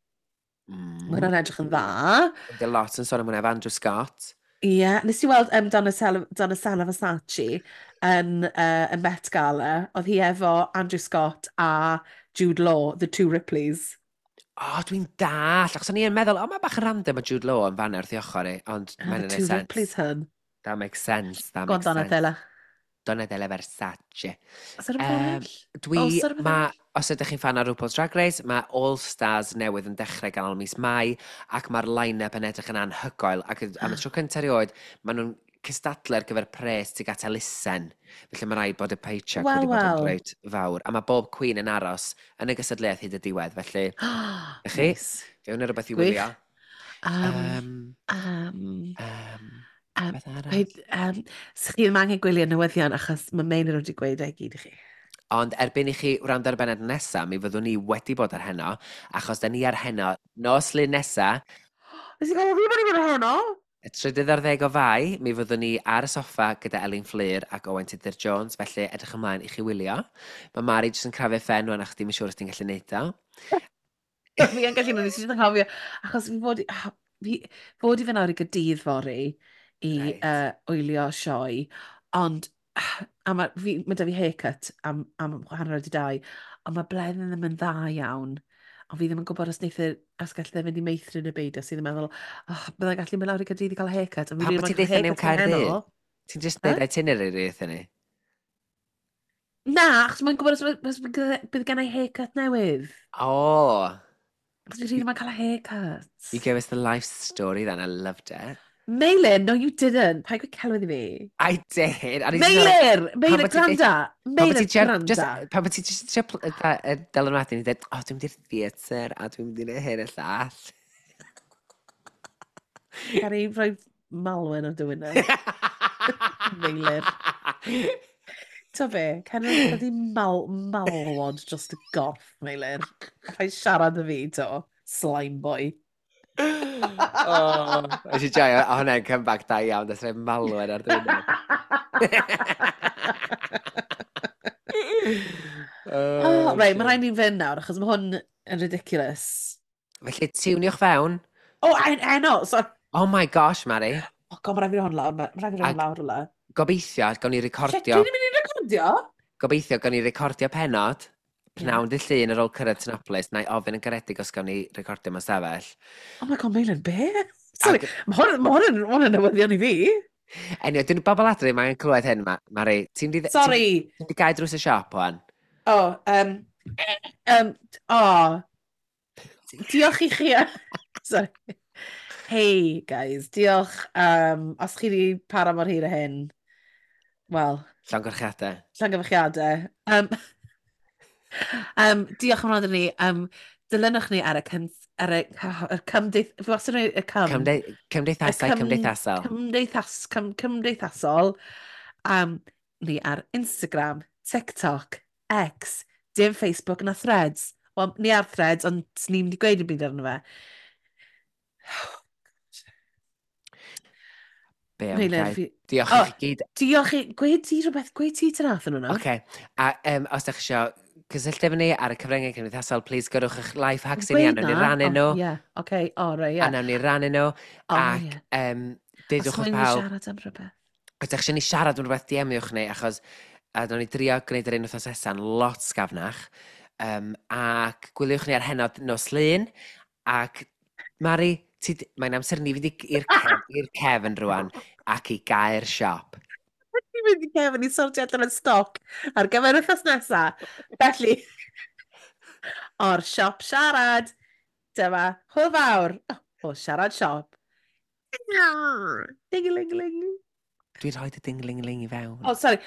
Speaker 2: Mae hwnna'n edrych yn dda.
Speaker 1: Ydy lot yn sôn am hwnna efo Andrew Scott.
Speaker 2: Ie, yeah, nes i weld Donatella Versace yn y Met Gala. Oedd hi efo Andrew Scott a Jude Law, the two Ripleys.
Speaker 1: O, oh, dwi'n dall. Achos o'n i yn meddwl, o, mae bach yn random o Jude Law yn fanna wrth i ochr i, ond
Speaker 2: Ah,
Speaker 1: mae'n
Speaker 2: the
Speaker 1: gwneud
Speaker 2: two
Speaker 1: sense.
Speaker 2: Ripleys hun.
Speaker 1: That makes sense. That
Speaker 2: Go on,
Speaker 1: makes sense.
Speaker 2: Donatella.
Speaker 1: Donatella Versace.
Speaker 2: Oes 'na rhywbeth arall?
Speaker 1: Dwi,
Speaker 2: Oes 'na rhywbeth
Speaker 1: ma,
Speaker 2: arall?
Speaker 1: os ydych chi'n fan o RuPaul's Drag Race, mae All Stars newydd yn dechrau ganol mis Mai, ac mae'r line-up yn edrych yn anhygoel, ac am y tro cyntaf erioed, maen nhw'n cystadlu ar gyfer pres tuag at elusen. Felly mae rhaid bod y paycheck
Speaker 2: Wel,
Speaker 1: wedi bod yn
Speaker 2: wel.
Speaker 1: reit fawr. A mae bob queen yn aros yn y gystadleuaeth hyd y diwedd, felly chi?
Speaker 2: Nice.
Speaker 1: Fe hwnna rhywbeth i
Speaker 2: Gwych.
Speaker 1: wylio. Beth arall?
Speaker 2: Paid, so chi ddim angen gwylio newyddion achos mae Meinir wedi gweud e gyd i chi.
Speaker 1: Ond erbyn i chi wrando ar y bennod nesaf, mi fyddwn ni wedi bod ar heno, achos da ni ar heno nos Lun nesa,
Speaker 2: Nes i gael fi bod i fynd ar heno?
Speaker 1: Y 13 o Fai, mi fyddwn ni ar y soffa gyda Elin Fflur ac Owain Tudur Jones, felly edrych ymlaen i chi wylio. Mae Mari jyst yn crafu phen rwan achos dim yn siŵr os ti'n gallu neud o.
Speaker 2: Fi yn gallu nes i jyst yn cofio, achos fi fod i fynd awr i Gaerdydd fory i wylio sioe, ond a mae, fi, mae da fi haircut am 2:30, ond mae Bleddyn ddim yn dda iawn. Ond fi ddim yn gwybod os wneith e, os gall e fynd i meithrin y beidio, sydd yn meddwl, oh, byddai'n gallu mynd lawr i Gaerdydd i gael haircut. Ond fi
Speaker 1: Pam
Speaker 2: rili
Speaker 1: bod
Speaker 2: moyn
Speaker 1: ti'n
Speaker 2: cael
Speaker 1: deutha ni am
Speaker 2: haircut yn
Speaker 1: Caerdydd?
Speaker 2: heno.
Speaker 1: Ti'n just
Speaker 2: Huh?
Speaker 1: deud itinerary wrthyn ni?
Speaker 2: Na, achos mae'n gwybod os bydd gen i haircut newydd.
Speaker 1: Oh,
Speaker 2: Achos fi rili moyn cael haircut.
Speaker 1: You gave us the life story then, I loved it.
Speaker 2: Meilir, no you didn't. Paid gweud celwydd i fi.
Speaker 1: I did. A nes i feddwl,
Speaker 2: Meilir! Meilir,
Speaker 1: bod ti'n deud-
Speaker 2: gwranda!
Speaker 1: Pan bod
Speaker 2: Meilir,
Speaker 1: ti'n just,
Speaker 2: gwranda.
Speaker 1: pan bod ti just trio dylanwadu, ni dweud, "O, dwi'n mynd i'r theatr, a dwi'n mynd i neud hyn y llall."
Speaker 2: Gan i rhoi malwen ar dy wyneb. Meilir. Ta be, can i rhoi malwod dros y gorff, Meilir. Rhaid siarad y fi, to. Slime boy.
Speaker 1: Oh, nes i joio, a hwnna'n comeback da iawn, das rhoi malwen ar dy wyneb.
Speaker 2: Oh, right, mae rhaid ni fynd nawr, achos mae hwn yn ridiculous.
Speaker 1: Felly, tiwniwch fewn.
Speaker 2: O, oh, heno, sorry.
Speaker 1: Oh my gosh, Mari.
Speaker 2: Oh god, mae rhaid fi hwn lawr, mae rhaid fi hwn lawr rhywle.
Speaker 1: Gobeithio, gawn ni recordio...
Speaker 2: Shit, dwi'n mynd i recordio?
Speaker 1: Gobeithio, gawn ni recordio penod, pnawn dydd Llun ar ôl cyrraedd Tinopolis, na i ofyn yn garedig os gawn ni recordio mewn stafell.
Speaker 2: Oh my god, Meilir, be? Sorry, mae hwn, ma hwn, hwn yn newyddion i fi.
Speaker 1: Anyway, dyn nhw bobl adre, mae'n clywed hyn, Mari. Ti'n di...
Speaker 2: Sorry.
Speaker 1: Ti'n di gau drws y siop, wan?
Speaker 2: Oh, oh. Diolch i chi. Sorry. Hey, guys, diolch. Os chi wedi para mor hir â hyn, wel...
Speaker 1: Llongyfarchiadau.
Speaker 2: Llongyfarchiadau. Diolch am wrando ni. Dilynwch ni ar y, cym, ar y, y cymdeith... Fi wastad yn y cym.
Speaker 1: Cymdeithasau cymdeithasol.
Speaker 2: Cymdeithas, cymdeithasol. Ni ar Instagram, TikTok, X, dim Facebook na Threads. Wel, ni ar Threads, ond ni'n mynd i gweud y byd arno fe.
Speaker 1: Be am gael? Diolch i chi gyd.
Speaker 2: Diolch i... Gweud ti rhywbeth, gweud ti tynath yn hwnna.
Speaker 1: Oce. A os ydych chi eisiau cysylltu efo ni ar y cyfryngau cymdeithasol, please gyrrwch eich life hacks i ni, a nawn ni rannu nhw.
Speaker 2: Ie, oce, o, rei, ie.
Speaker 1: A nawn ni rannu nhw. Ac deudwch wrth pawb...
Speaker 2: Os siarad am rhywbeth.
Speaker 1: Os ydych chi eisiau ni siarad am rhywbeth, DM-iwch ni, achos a nawn ni drio gwneud yr un wythnos nesa'n lot sgafnach. Ac gwyliwch ni ar Heno nos Lun. Ac Mari, mae'n amser ni fynd i'r cef, cefn rwan ac i gau'r siop.
Speaker 2: Ni'n mynd i cefn i sortio allan y stoc ar gyfer wythnos nesaf. Felly, o'r siop siarad, dyma hwyl fawr o siarad siop. Ding-ling-ling.
Speaker 1: Dwi'n rhoi dy ding-ling-ling i fewn.
Speaker 2: Oh, sorry.